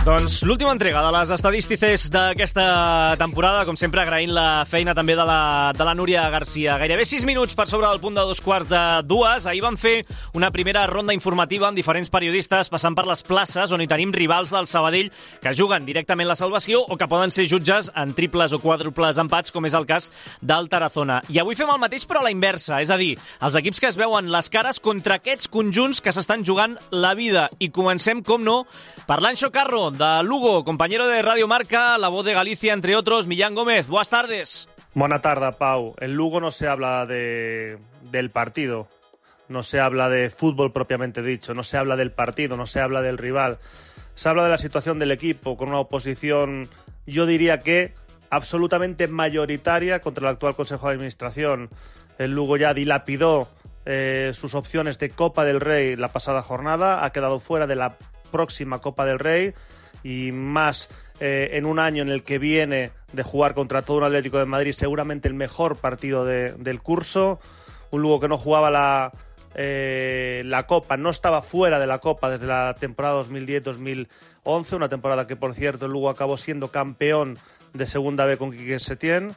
Doncs l'última entrega de les estadístiques d'aquesta temporada, com sempre agraint la feina també de la, de la Núria Garcia. Gairebé sis minuts per sobre del punt de dos quarts de dues. Ahir vam fer una primera ronda informativa amb diferents periodistes passant per les places on hi tenim rivals del Sabadell que juguen directament la salvació o que poden ser jutges en triples o quàdruples empats, com és el cas del Tarazona. I avui fem el mateix però a la inversa, és a dir, els equips que es veuen les cares contra aquests conjunts que s'estan jugant la vida. I comencem, com no, per l'Anxo Carro, de Lugo, compañero de Radio Marca, La Voz de Galicia, entre otros. Millán Gómez, buenas tardes. Buenas tardes, Pau. En Lugo no se habla de, del partido, no se habla de fútbol propiamente dicho, no se habla del partido, no se habla del rival. Se habla de la situación del equipo, con una oposición, yo diría que absolutamente mayoritaria contra el actual Consejo de Administración. El Lugo ya dilapidó eh, sus opciones de Copa del Rey la pasada jornada, ha quedado fuera de la próxima Copa del Rey, y más eh, en un año en el que viene de jugar contra todo un Atlético de Madrid, seguramente el mejor partido de, del curso. Un Lugo que no jugaba la, eh, la Copa, no estaba fuera de la Copa desde la temporada dos mil diez dos mil once, una temporada que, por cierto, el Lugo acabó siendo campeón de Segunda B con Quique Setién.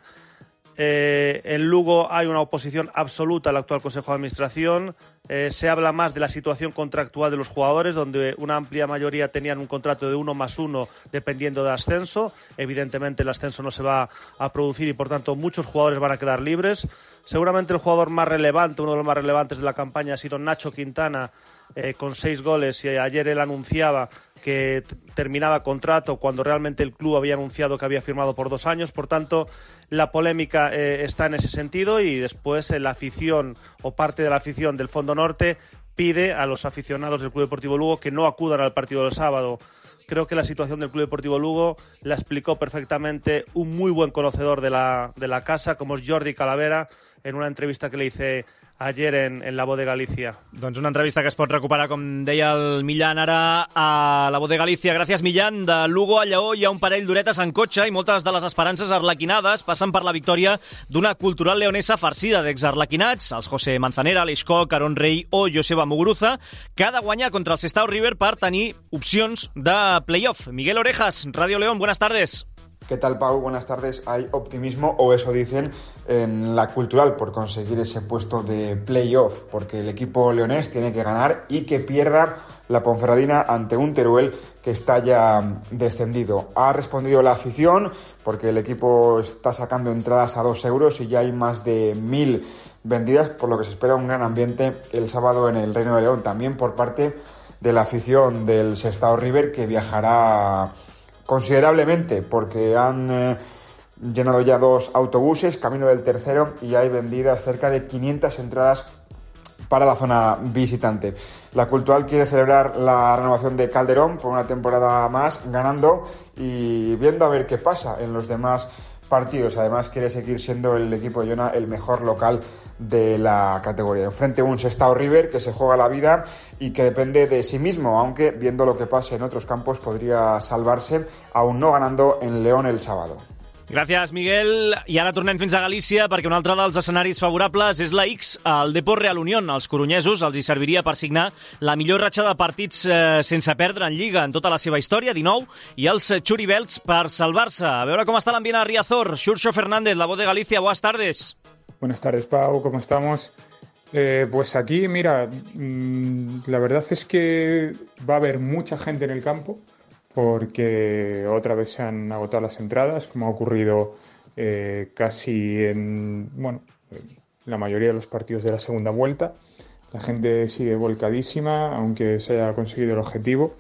Eh, en Lugo hay una oposición absoluta al actual Consejo de Administración. Eh, se habla más de la situación contractual de los jugadores, donde una amplia mayoría tenían un contrato de uno más uno dependiendo del ascenso. Evidentemente el ascenso no se va a producir y por tanto muchos jugadores van a quedar libres. Seguramente el jugador más relevante, uno de los más relevantes de la campaña ha sido Nacho Quintana, eh, con seis goles, y ayer él anunciaba que t- terminaba contrato cuando realmente el club había anunciado que había firmado por dos años. Por tanto, la polémica eh, está en ese sentido, y después eh, la afición o parte de la afición del Fondo Norte pide a los aficionados del Club Deportivo Lugo que no acudan al partido del sábado, creo que la situación del Club Deportivo Lugo la explicó perfectamente un muy buen conocedor de la, de la casa, como es Jordi Calavera, en una entrevista que le hice ayer en, en La Voz de Galícia. Doncs una entrevista que es pot recuperar, com deia el Millán, ara a La Voz de Galícia. Gràcies, Millán. De Lugo a Lleó hi ha un parell d'horetes en cotxe i moltes de les esperances arlequinades passen per la victòria d'una cultural leonesa farcida d'exarlequinats, els José Manzanera, Aleix Koch, Aaron Rey o Joseba Muguruza, que ha de guanyar contra el Sestao River per tenir opcions de playoff. Miguel Orejas, Radio León, buenas tardes. ¿Qué tal, Pau? Buenas tardes. Hay optimismo, o eso dicen, en la Cultural por conseguir ese puesto de playoff, porque el equipo leonés tiene que ganar y que pierda la Ponferradina ante un Teruel que está ya descendido. Ha respondido la afición porque el equipo está sacando entradas a dos euros y ya hay más de mil vendidas, por lo que se espera un gran ambiente el sábado en el Reino de León, también por parte de la afición del Sestao River, que viajará considerablemente porque han eh, llenado ya dos autobuses, camino del tercero, y hay vendidas cerca de quinientas entradas para la zona visitante. La Cultural quiere celebrar la renovación de Calderón por una temporada más, ganando y viendo a ver qué pasa en los demás partidos. Además, quiere seguir siendo el equipo de Jona el mejor local de la categoría. Enfrente un Sestao River que se juega la vida y que depende de sí mismo, aunque viendo lo que pasa en otros campos podría salvarse, aún no ganando en León el sábado. Gràcies, Miguel. I ara tornem fins a Galícia perquè un altre dels escenaris favorables és la X, el Depor Real Unión. Els coronyesos els hi serviria per signar la millor ratxa de partits eh, sense perdre en Lliga en tota la seva història, dinou, i els Churibelts per salvar-se. A veure com està l'ambient a Riazor. Xurxo Fernández, La Voz de Galicia, buenas tardes. Buenas tardes, Pau, ¿cómo estamos? Eh, pues aquí, mira, mmm, la verdad es que va a haber mucha gente en el campo, porque otra vez se han agotado las entradas, como ha ocurrido eh, casi en bueno, la mayoría de los partidos de la segunda vuelta. La gente sigue volcadísima, aunque se haya conseguido el objetivo,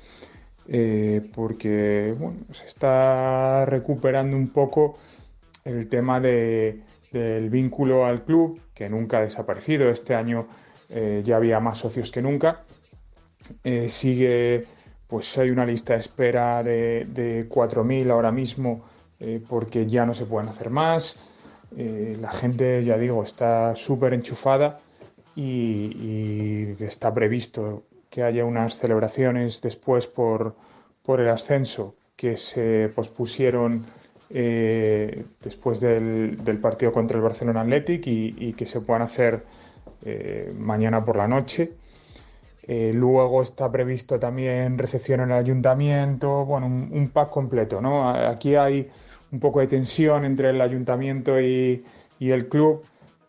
eh, porque bueno, se está recuperando un poco el tema de, del vínculo al club, que nunca ha desaparecido. Este año eh, ya había más socios que nunca. Eh, sigue... Pues hay una lista de espera de, de cuatro mil ahora mismo eh, porque ya no se pueden hacer más. Eh, la gente, ya digo, está súper enchufada y, y está previsto que haya unas celebraciones después por, por el ascenso que se pospusieron eh, después del, del partido contra el Barcelona Athletic y, y que se puedan hacer eh, mañana por la noche. Eh, luego está previsto también recepción en el ayuntamiento, bueno, un, un pack completo, ¿no? Aquí hay un poco de tensión entre el ayuntamiento y, y el club,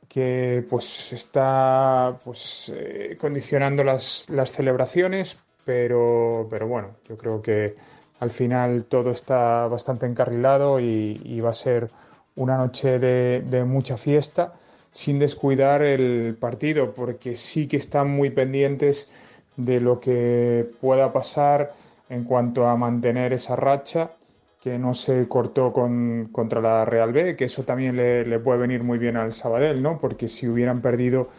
que pues está pues eh, condicionando las, las celebraciones, pero, pero bueno, yo creo que al final todo está bastante encarrilado y, y va a ser una noche de, de mucha fiesta, sin descuidar el partido, porque sí que están muy pendientes de lo que pueda pasar en cuanto a mantener esa racha que no se cortó con, contra la Real B, que eso también le, le puede venir muy bien al Sabadell, ¿no? Porque si hubieran perdido,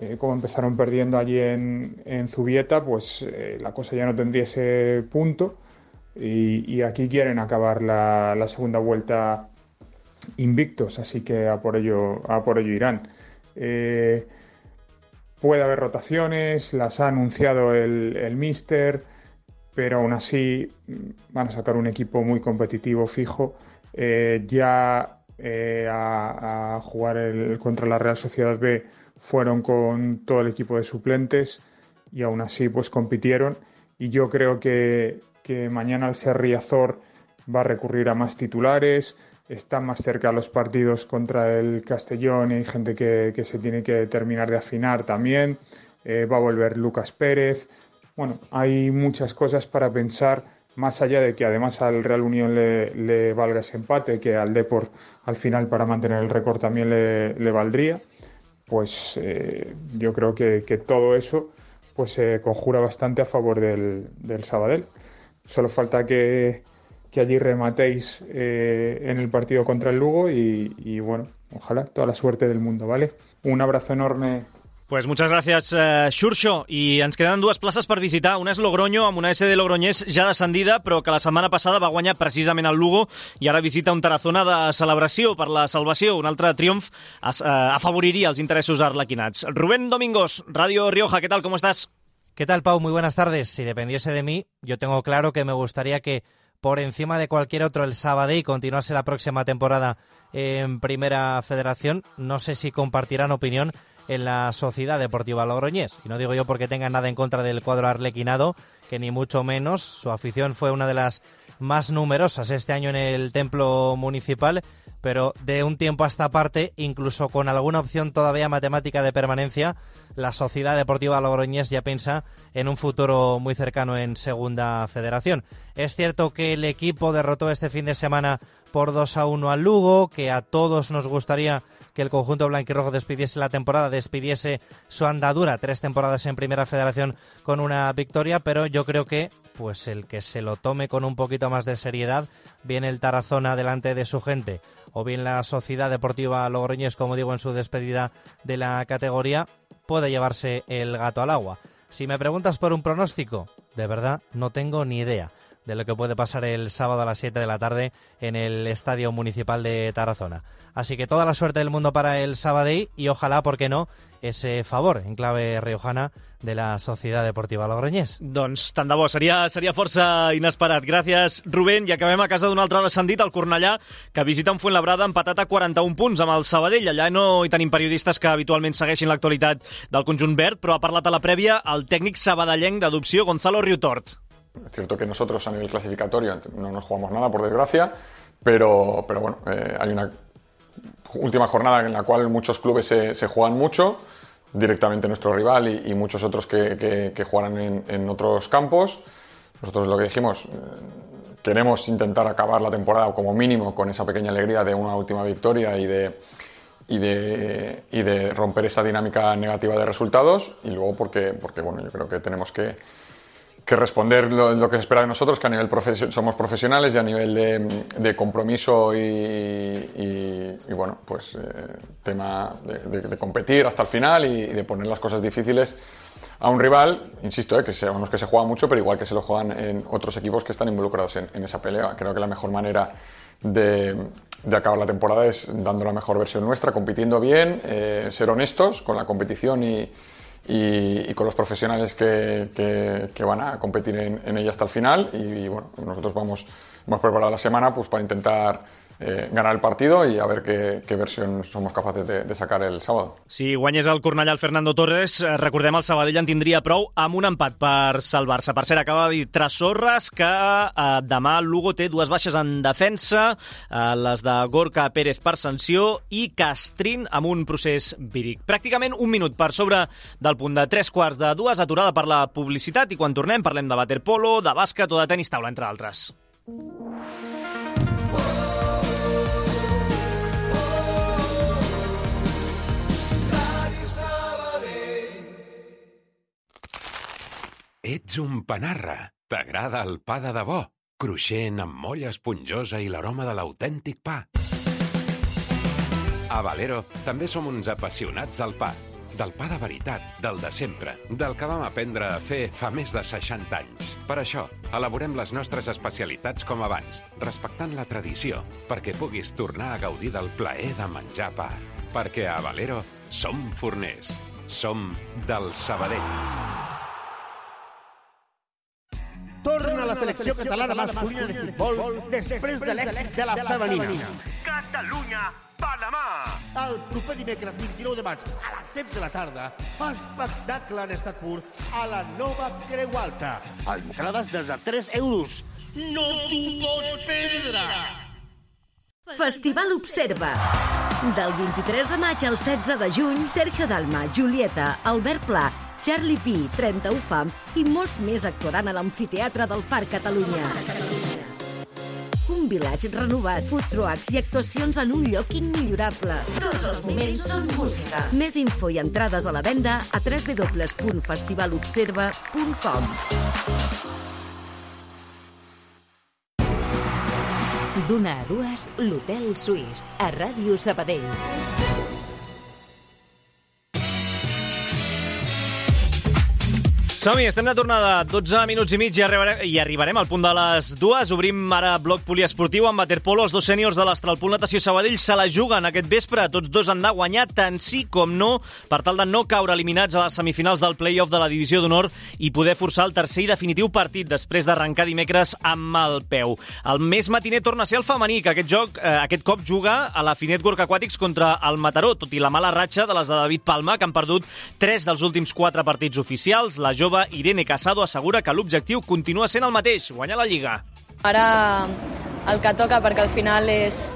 eh, como empezaron perdiendo allí en, en Zubieta, pues eh, la cosa ya no tendría ese punto, y, y aquí quieren acabar la, la segunda vuelta invictos, así que a por ello, a por ello irán. Eh, puede haber rotaciones, las ha anunciado el, el míster, pero aún así van a sacar un equipo muy competitivo, fijo. Eh, ya eh, a, a jugar el, contra la Real Sociedad B fueron con todo el equipo de suplentes y aún así pues compitieron, y yo creo que, que mañana al ser Riazor va a recurrir a más titulares. Están más cerca los partidos contra el Castellón y hay gente que, que se tiene que terminar de afinar también. Eh, va a volver Lucas Pérez. Bueno, hay muchas cosas para pensar, más allá de que además al Real Unión le, le valga ese empate, que al Depor al final para mantener el récord también le, le valdría. Pues eh, yo creo que, que todo eso pues se eh, conjura bastante a favor del, del Sabadell. Solo falta que... que allí rematéis eh, en el partido contra el Lugo y, y bueno, ojalá toda la suerte del mundo, ¿vale? Un abrazo enorme. Pues muchas gracias, uh, Xurxo. I ens queden dues places per visitar. Una és Logroño, amb una S de Logroñés ja descendida, però que la setmana passada va guanyar precisament el Lugo i ara visita un Tarazona de celebració per la salvació. Un altre triomf uh, afavoriria els interessos arlequinats. Rubén Domingos, Radio Rioja, ¿qué tal? ¿Cómo estás? ¿Qué tal, Pau? Muy buenas tardes. Si dependiese de mí, yo tengo claro que me gustaría que por encima de cualquier otro el Sabadell continuase la próxima temporada en Primera Federación. No sé si compartirán opinión en la Sociedad Deportiva Logroñés. Y no digo yo porque tenga nada en contra del cuadro arlequinado, que ni mucho menos. Su afición fue una de las más numerosas este año en el templo municipal, pero de un tiempo a esta parte, incluso con alguna opción todavía matemática de permanencia, la Sociedad Deportiva Logroñés ya piensa en un futuro muy cercano en Segunda Federación. Es cierto que el equipo derrotó este fin de semana por dos a uno al Lugo, que a todos nos gustaría que el conjunto blanquirrojo despidiese la temporada, despidiese su andadura, tres temporadas en Primera Federación con una victoria, pero yo creo que pues el que se lo tome con un poquito más de seriedad, bien el Tarazona delante de su gente, o bien la Sociedad Deportiva Logroñés, como digo, en su despedida de la categoría, puede llevarse el gato al agua. Si me preguntas por un pronóstico, de verdad no tengo ni idea de lo que puede pasar el sábado a las siete de la tarde en el Estadio Municipal de Tarazona. Así que toda la suerte del mundo para el Sabadell y ojalá, ¿por qué no?, ese favor en clave riojana de la Societat Deportiva Logroñés. Doncs tant de bo, seria, seria força inesperat. Gràcies, Rubén. I acabem a casa d'un altre descendit, el Cornellà, que visita un Fuenlabrada empatat a quaranta-un punts amb el Sabadell. Allà no hi tenim periodistes que habitualment segueixin l'actualitat del conjunt verd, però ha parlat a la prèvia el tècnic sabadellenc d'adopció, Gonzalo Riutort. Es cierto que nosotros a nivel clasificatorio no nos jugamos nada, por desgracia, pero, pero bueno, eh, hay una última jornada en la cual muchos clubes se, se juegan mucho, directamente nuestro rival y, y muchos otros que, que, que jugarán en, en otros campos. Nosotros lo que dijimos, eh, queremos intentar acabar la temporada como mínimo con esa pequeña alegría de una última victoria y de, y de, y de romper esa dinámica negativa de resultados, y luego porque, porque bueno, yo creo que tenemos que que responder lo, lo que se espera de nosotros, que a nivel profesio- somos profesionales y a nivel de, de compromiso y, y, y bueno, pues eh, tema de, de, de competir hasta el final y, y de poner las cosas difíciles a un rival, insisto, eh, que sabemos que se juega mucho, pero igual que se lo juegan en otros equipos que están involucrados en, en esa pelea. Creo que la mejor manera de, de acabar la temporada es dando la mejor versión nuestra, compitiendo bien, eh, ser honestos con la competición y Y, y con los profesionales que, que, que van a competir en, en ella hasta el final. Y, y bueno, nosotros vamos, hemos preparado la semana pues para intentar eh, ganar el partido y a ver qué, qué versión somos capaces de, de sacar el sábado. Si guanyés el Cornellà el Fernando Torres, recordem el Sabadell en tindria prou amb un empat per salvar-se. Per cert, acaba de dir Trasorras que eh, demà el Lugo té dues baixes en defensa, eh, les de Gorka Pérez per sanció i Castrín amb un procés víric. Pràcticament un minut per sobre del punt de tres quarts de dues, aturada per la publicitat, i quan tornem parlem de waterpolo, de bàsquet o de tenis taula, entre altres. Ets un panarra. T'agrada el pa de debò, cruixent amb molla esponjosa i l'aroma de l'autèntic pa. A Valero també som uns apassionats del pa. Del pa de veritat, del de sempre, del que vam aprendre a fer fa més de seixanta anys. Per això, elaborem les nostres especialitats com abans, respectant la tradició, perquè puguis tornar a gaudir del plaer de menjar pa. Perquè a Valero som forners. Som del Sabadell. Torna la selecció catalana masculina de futbol després de l'èxit de la femenina. Catalunya, Panamà! El proper dimecres vint-i-nou de maig a les set de la tarda, espectacle en estat pur a la nova Creu Alta. Entrades des de tres euros. No t'ho pots perdre! Festival Observa. Del vint-i-tres de maig al setze de juny, Sergio Dalma, Julieta, Albert Pla, Charlie Pi, trenta-u Fam i molts més actuaran a l'Amfiteatre del Parc Catalunya. Un vilatge renovat, food trucks i actuacions en un lloc immillorable. Tots els moments són música. Més info i entrades a la venda a w w w punt festival observa punt com. D'una a dues, l'Hotel Suís, a Ràdio Sabadell. Som-hi, estem de tornada, dotze minuts i mig i arribarem, i arribarem al punt de les dues. Obrim ara bloc poliesportiu amb waterpolo. Els dos sèniors de l'Astralpool Natació Sabadell se la juguen aquest vespre. Tots dos han de guanyar tant sí com no per tal de no caure eliminats a les semifinals del play-off de la Divisió d'Honor i poder forçar el tercer i definitiu partit després d'arrencar dimecres amb el peu. El més matiner torna a ser el femení, que aquest joc, eh, aquest cop juga a la Finet Work Aquatics contra el Mataró, tot i la mala ratxa de les de David Palma, que han perdut tres dels últims quatre partits oficials. La jove Irene Casado assegura que l'objectiu continua sent el mateix, guanyar la Lliga. Ara el que toca, perquè al final és,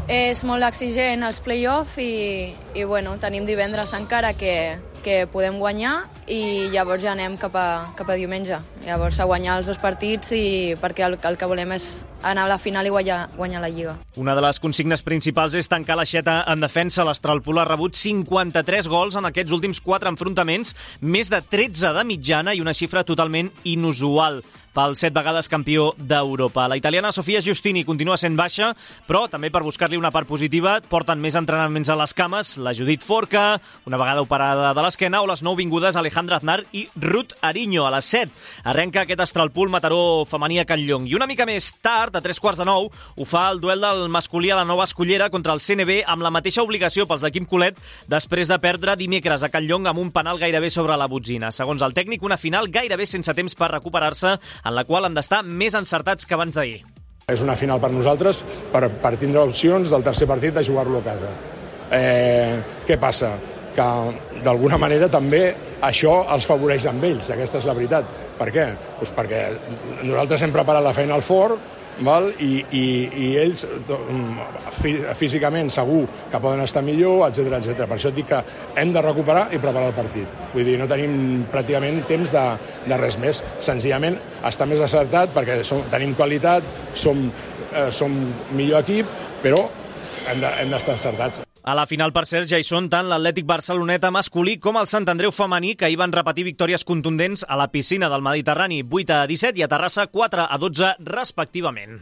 és molt exigent els play-off i, i bueno, tenim divendres encara que, que podem guanyar i llavors ja anem cap a, cap a diumenge. Llavors a guanyar els dos partits i perquè el, el que volem és anar a la final i guanyar, guanyar la Lliga. Una de les consignes principals és tancar l'aixeta en defensa. L'Astralpool ha rebut cinquanta-tres gols en aquests últims quatre enfrontaments, més de tretze de mitjana i una xifra totalment inusual pel set vegades campió d'Europa. La italiana Sofia Giustini continua sent baixa, però també per buscar-li una part positiva porten més entrenaments a les cames la Judit Forca, una vegada operada de l'esquena, o les nou vingudes Alejandra Aznar i Ruth Ariño. A les set arrenca aquest Astralpool Mataró femení a Can Llong. I una mica més tard, a tres quarts de nou, ho fa el duel del masculí a la Nova Escollera contra el C N B amb la mateixa obligació pels de Quim Colet després de perdre dimecres a Can Llong amb un penal gairebé sobre la botzina. Segons el tècnic, una final gairebé sense temps per recuperar-se, en la qual han d'estar més encertats que abans d'ahir. És una final per nosaltres per, per tindre opcions del tercer partit de jugar-lo a casa. Eh, què passa? Que d'alguna manera també això els favoreix amb ells, aquesta és la veritat. Per què? Pues perquè nosaltres hem preparat la feina al fort, val? I, i, i ells físicament segur que poden estar millor, etcètera etcètera. Per això et dic que hem de recuperar i preparar el partit. Vull dir, no tenim pràcticament temps de, de res més. Senzillament està més acertat perquè som, tenim qualitat, som, eh, som millor equip, però hem de, hem d'estar encertats. A la final, per cert, ja hi són tant l'Atlètic Barceloneta masculí com el Sant Andreu femení, que hi van repetir victòries contundents a la piscina del Mediterrani, vuit a disset, i a Terrassa, quatre a dotze, respectivament.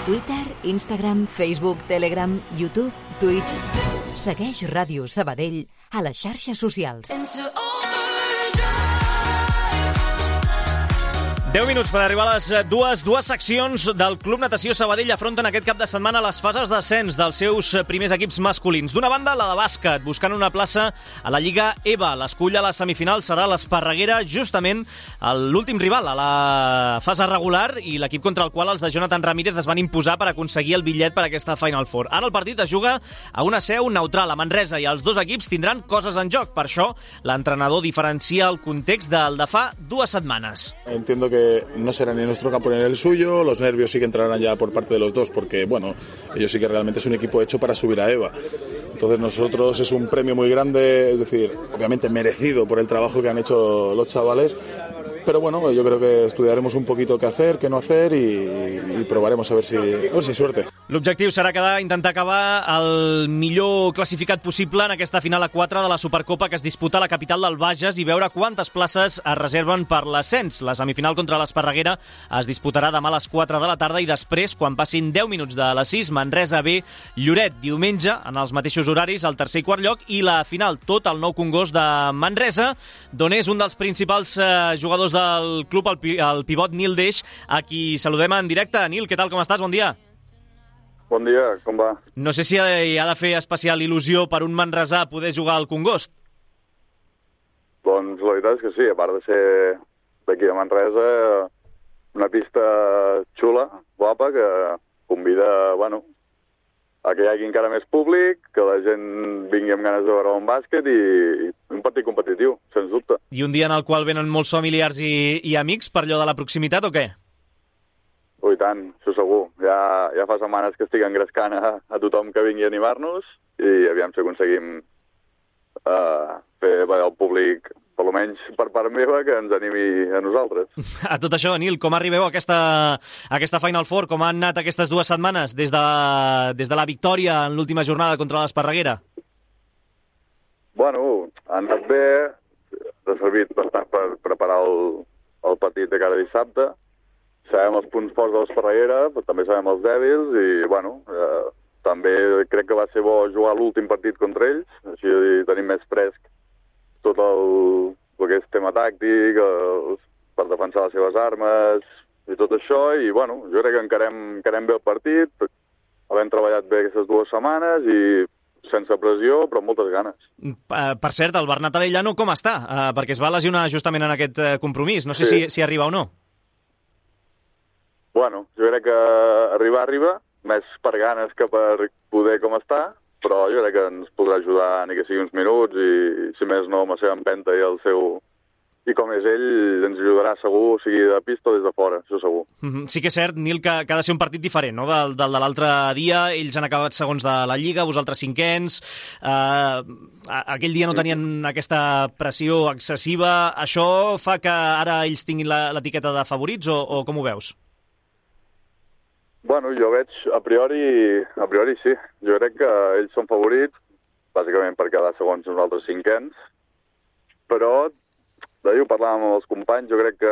Twitter, Instagram, Facebook, Telegram, YouTube, Twitch. Segueix Ràdio Sabadell a les xarxes socials. deu minuts per arribar a les dues. Dues seccions del Club Natació Sabadell afronten aquest cap de setmana les fases d'ascens dels seus primers equips masculins. D'una banda, la de bàsquet, buscant una plaça a la Lliga EVA. L'escull a la semifinal serà l'Esparreguera, justament l'últim rival a la fase regular i l'equip contra el qual els de Jonathan Ramírez es van imposar per aconseguir el bitllet per a aquesta Final Four. Ara el partit es juga a una seu neutral a Manresa i els dos equips tindran coses en joc. Per això, l'entrenador diferencia el context del de fa dues setmanes. Entiendo que no será ni nuestro campo ni el suyo, los nervios sí que entrarán ya por parte de los dos porque, bueno, ellos sí que realmente es un equipo hecho para subir a EVA. Entonces nosotros es un premio muy grande, es decir, obviamente merecido por el trabajo que han hecho los chavales, pero bueno, yo creo que estudiaremos un poquito qué hacer, qué no hacer y, y probaremos a ver si, a ver si hay suerte. L'objectiu serà quedar, intentar acabar el millor classificat possible en aquesta final a quatre de la Supercopa que es disputa a la capital del Bages i veure quantes places es reserven per l'ascens. La semifinal contra l'Esparreguera es disputarà demà a les quatre de la tarda i després, quan passin deu minuts de les sis, Manresa B, Lloret, diumenge, en els mateixos horaris, al tercer i quart lloc, i la final, tot al Nou Congost de Manresa, d'on és un dels principals eh, jugadors del club, el, el pivot Nil Deix, a qui saludem en directe. Nil, què tal, com estàs? Bon dia. Bon dia, com va? No sé si hi ha de fer especial il·lusió per un manresà poder jugar al Congost. Doncs la veritat és que sí, a part de ser d'aquí a Manresa, una pista xula, guapa, que convida, bueno, a que hi hagi encara més públic, que la gent vingui amb ganes de veure un bàsquet i, i un partit competitiu, sens dubte. I un dia en el qual venen molts familiars i, i amics per allò de la proximitat o què? Oh, i tant, això segur. Ja, ja fa setmanes que estic engrescant a, a tothom que vingui a animar-nos i aviam si aconseguim uh, fer el públic, per almenys per part meva, que ens animi a nosaltres. A tot això, Nil, com arribeu a aquesta, a aquesta Final Four? Com han anat aquestes dues setmanes des de, des de la victòria en l'última jornada contra l'Esparreguera? Bueno, han anat bé. Ha servit bastant per preparar el, el partit de cada dissabte. Sabem els punts forts de l'Esparreguera, però també sabem els dèbils i, bueno, eh, també crec que va ser bo jugar l'últim partit contra ells, així tenim més fresc tot el, el que és tema tàctic, els, per defensar les seves armes i tot això, i bueno, jo crec que encarem, encarem bé el partit, havent treballat bé aquestes dues setmanes i sense pressió, però amb moltes ganes. Per cert, el Bernat Arellano com està? Uh, perquè es va lesionar justament en aquest compromís. No sé sí. si, si arriba o no. Bueno, jo crec que arribar, arriba, més per ganes que per poder com està, però jo crec que ens podrà ajudar ni que sigui uns minuts i, si més no, amb la seva empenta i el seu... I com és ell, ens ajudarà segur, sigui de pista o des de fora, això segur. Mm-hmm. Sí que és cert, Nil, que, que ha de ser un partit diferent, no?, del, del de l'altre dia. Ells han acabat segons de la Lliga, vosaltres cinquens. Uh, aquell dia no tenien aquesta pressió excessiva. Això fa que ara ells tinguin l'etiqueta de favorits o, o com ho veus? Bueno, jo veig, a priori, a priori sí. Jo crec que ells són favorits, bàsicament per quedar segons nosaltres cinquens, però... D'ahir ho parlàvem amb els companys, jo crec que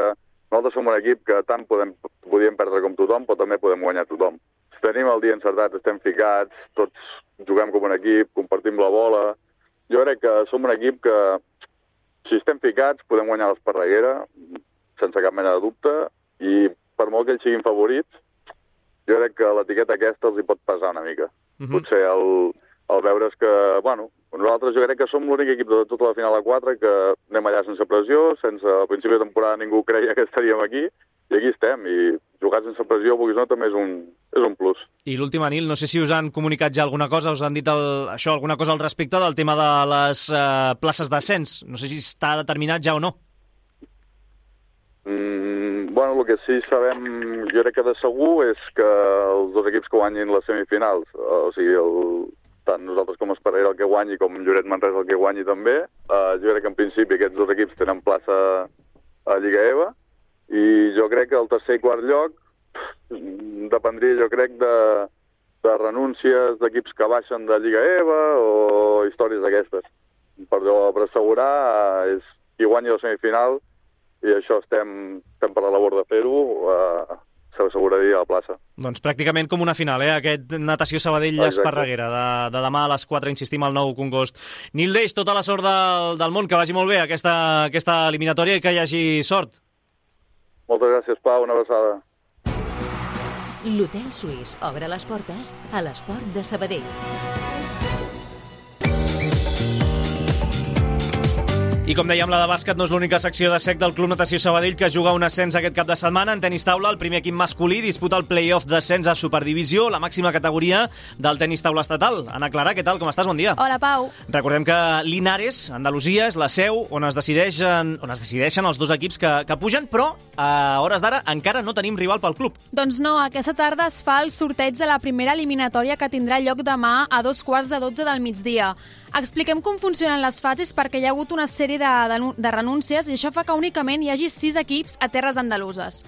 nosaltres som un equip que tant podem, podíem perdre com tothom, però també podem guanyar tothom. Si tenim el dia encertat, estem ficats, tots juguem com un equip, compartim la bola. Jo crec que som un equip que, si estem ficats, podem guanyar l'Esparreguera, sense cap mena de dubte, i per molt que ells siguin favorits, jo crec que l'etiqueta aquesta els hi pot pesar una mica. Mm-hmm. Potser el, el veure's que, bueno, nosaltres jo crec que som l'únic equip de tota la final a quatre que anem allà sense pressió, sense al principi de temporada ningú creia que estaríem aquí, i aquí estem, i jugar sense pressió, vulguis no, també és un, és un plus. I l'última, Nil, no sé si us han comunicat ja alguna cosa, us han dit el, això, alguna cosa al respecte del tema de les eh, places d'ascens. No sé si està determinat ja o no. Mm, bueno, el que sí sabem, jo crec que de segur, és que els dos equips que guanyin les semifinals, o sigui, el... tant nosaltres com Esparreguera el que guanyi, com Lloret Manresa el que guanyi també. Uh, jo crec que en principi aquests dos equips tenen plaça a Lliga E V A, i jo crec que el tercer i quart lloc dependria, jo crec, de, de renúncies d'equips que baixen de Lliga E V A o històries d'aquestes. Però per assegurar uh, és qui guanyi la semifinal, i això estem, estem per la labor de fer-ho, uh, s'asseguraria a la plaça. Doncs pràcticament com una final, eh? Aquest Natació Sabadell-Esparreguera de, de demà a les quatre, insistim, al Nou Congost. Nil Deix, tota la sort del, del món, que vagi molt bé aquesta, aquesta eliminatòria i que hi hagi sort. Moltes gràcies, Pau, una abraçada. L'Hotel Suís obre les portes a l'Esport de Sabadell. I com dèiem, la de bàsquet no és l'única secció de sec del Club Natació Sabadell, que juga un ascens aquest cap de setmana. En tenis taula, el primer equip masculí disputa el play-off d'ascens a Superdivisió, la màxima categoria del tenis taula estatal. Ana Clara, què tal? Com estàs? Bon dia. Hola, Pau. Recordem que Linares, Andalusia, és la seu on es decideixen, on es decideixen els dos equips que, que pugen, però a hores d'ara encara no tenim rival pel club. Doncs no, aquesta tarda es fa el sorteig de la primera eliminatòria que tindrà lloc demà a dos quarts de dotze del migdia. Expliquem com funcionen les fases perquè hi ha hagut una sèrie de, de, de renúncies i això fa que únicament hi hagi sis equips a terres andaluses.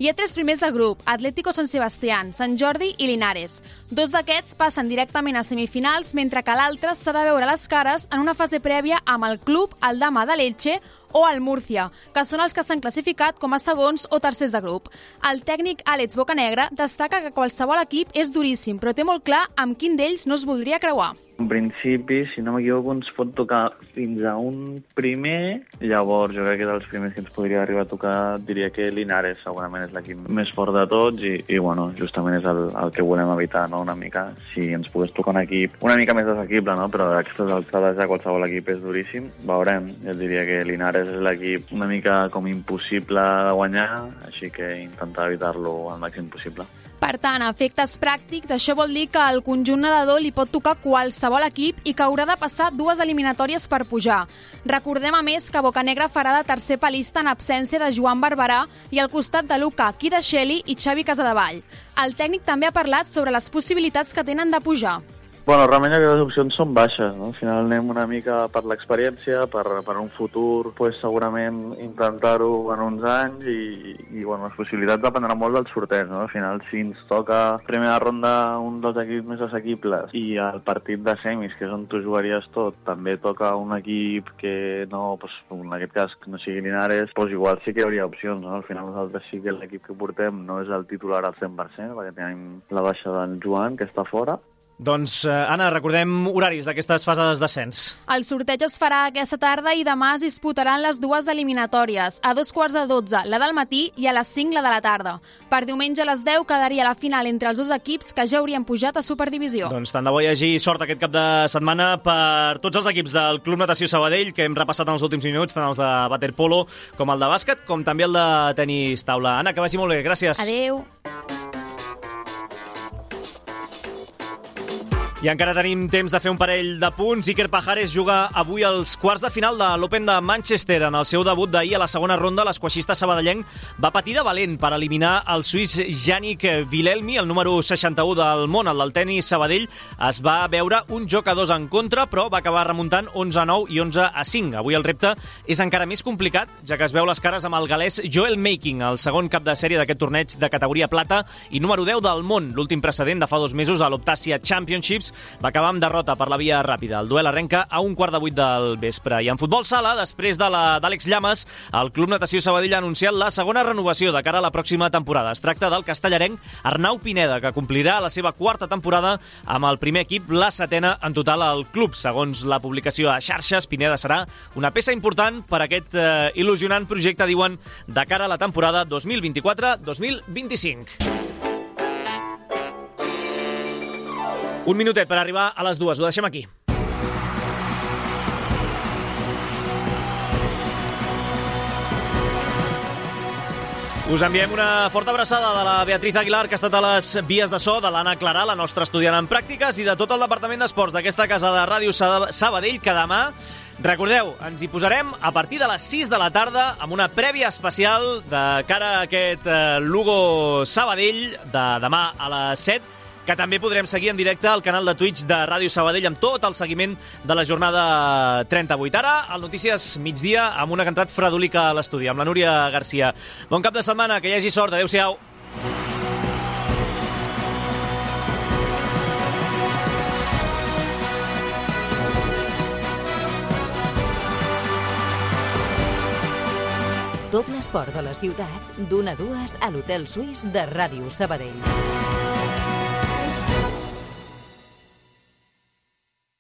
Hi ha tres primers de grup, Atlético San Sebastián, Sant Jordi i Linares. Dos d'aquests passen directament a semifinals, mentre que l'altre s'ha de veure les cares en una fase prèvia amb el club, el Dama de l'Elche o el Múrcia, que són els que s'han classificat com a segons o tercers de grup. El tècnic Àlex Bocanegra destaca que qualsevol equip és duríssim, però té molt clar amb quin d'ells no es voldria creuar. En principi, si no m'equivoco, ens pot tocar fins a un primer. Llavors, jo crec que dels primers que ens podria arribar a tocar, diria que Linares segurament és l'equip més fort de tots i, i bueno, justament és el, el que volem evitar, no?, una mica. Si ens pogués tocar un equip una mica més desequible, no?, però a aquestes alçades ja qualsevol equip és duríssim. Veurem, jo diria que Linares és l'equip una mica com impossible de guanyar, així que intentar evitar-lo al màxim possible. Per tant, a efectes pràctics, això vol dir que al conjunt nedador li pot tocar qualsevol equip i que haurà de passar dues eliminatòries per pujar. Recordem, a més, que Bocanegra farà de tercer palista en absència de Joan Barberà i al costat de Luca Kidasheli i Xavi Casadevall. El tècnic també ha parlat sobre les possibilitats que tenen de pujar. Bueno, realment aquestes opcions són baixes, no? Al final anem una mica per l'experiència, per, per un futur, pues, segurament intentar-ho en uns anys i, i bueno, les possibilitats dependran molt del sorteig, no? Al final, si ens toca primera ronda un dels equips més assequibles i el partit de semis, que és on tu jugaries tot, també toca un equip que no, pues, en aquest cas, no sigui Linares, pues igual sí que hi hauria opcions, no? Al final nosaltres sí que l'equip que portem no és el titular al cent per cent, perquè tenim la baixa d'en Joan, que està fora, Doncs, eh, Anna, recordem horaris d'aquestes fases d'ascens. El sorteig es farà aquesta tarda i demà es disputaran les dues eliminatòries, a dos quarts de dotze la del matí i a les cinc la de la tarda. Per diumenge a les deu quedaria la final entre els dos equips que ja haurien pujat a Superdivisió. Doncs tant de bo hi hagi sort aquest cap de setmana per tots els equips del Club Natació Sabadell, que hem repassat en els últims minuts, tant els de waterpolo com el de bàsquet, com també el de tenis taula. Anna, que vagi molt bé, gràcies. Adéu. I encara tenim temps de fer un parell de punts. Iker Pajares juga avui als quarts de final de l'Open de Manchester. En el seu debut d'ahir a la segona ronda, l'esquaixista sabadellenc va patir de valent per eliminar el suís Yannick Wilhelmy, el número seixanta-u del món. El del tenis Sabadell es va veure un joc a dos en contra, però va acabar remuntant onze a nou i onze a cinc. Avui el repte és encara més complicat, ja que es veu les cares amb el galès Joel Making, el segon cap de sèrie d'aquest torneig de categoria plata i número deu del món. L'últim precedent de fa dos mesos a l'Optasia Championships va acabar amb derrota per la via ràpida. El duel arrenca a un quart de vuit del vespre. I en futbol sala, després de la d'Àlex Llamas, el Club Natació Sabadell ha anunciat la segona renovació de cara a la pròxima temporada. Es tracta del castellarenc Arnau Pineda, que complirà la seva quarta temporada amb el primer equip, la setena en total al club. Segons la publicació a xarxes, Pineda serà una peça important per aquest eh, il·lusionant projecte, diuen, de cara a la temporada dos mil vint-i-quatre dos mil vint-i-cinc. Un minutet per arribar a les dues. Ho deixem aquí. Us enviem una forta abraçada de la Beatriz Aguilar, que ha estat a les vies de so, de l'Anna Clarà, la nostra estudiant en pràctiques, i de tot el departament d'esports d'aquesta casa de Ràdio Sabadell, que demà, recordeu, ens hi posarem a partir de les sis de la tarda amb una prèvia especial de cara a aquest eh, Lugo Sabadell de demà a les set, que també podrem seguir en directe al canal de Twitch de Ràdio Sabadell amb tot el seguiment de la jornada trenta-vuit. Ara, al Notícies Migdia, amb una cantat fredolica a l'estudi, amb la Núria Garcia. Bon cap de setmana, que hi hagi sort. Adéu-siau. Tot l'esport de la ciutat, d'una a dues a l'Hotel Suís de Ràdio Sabadell.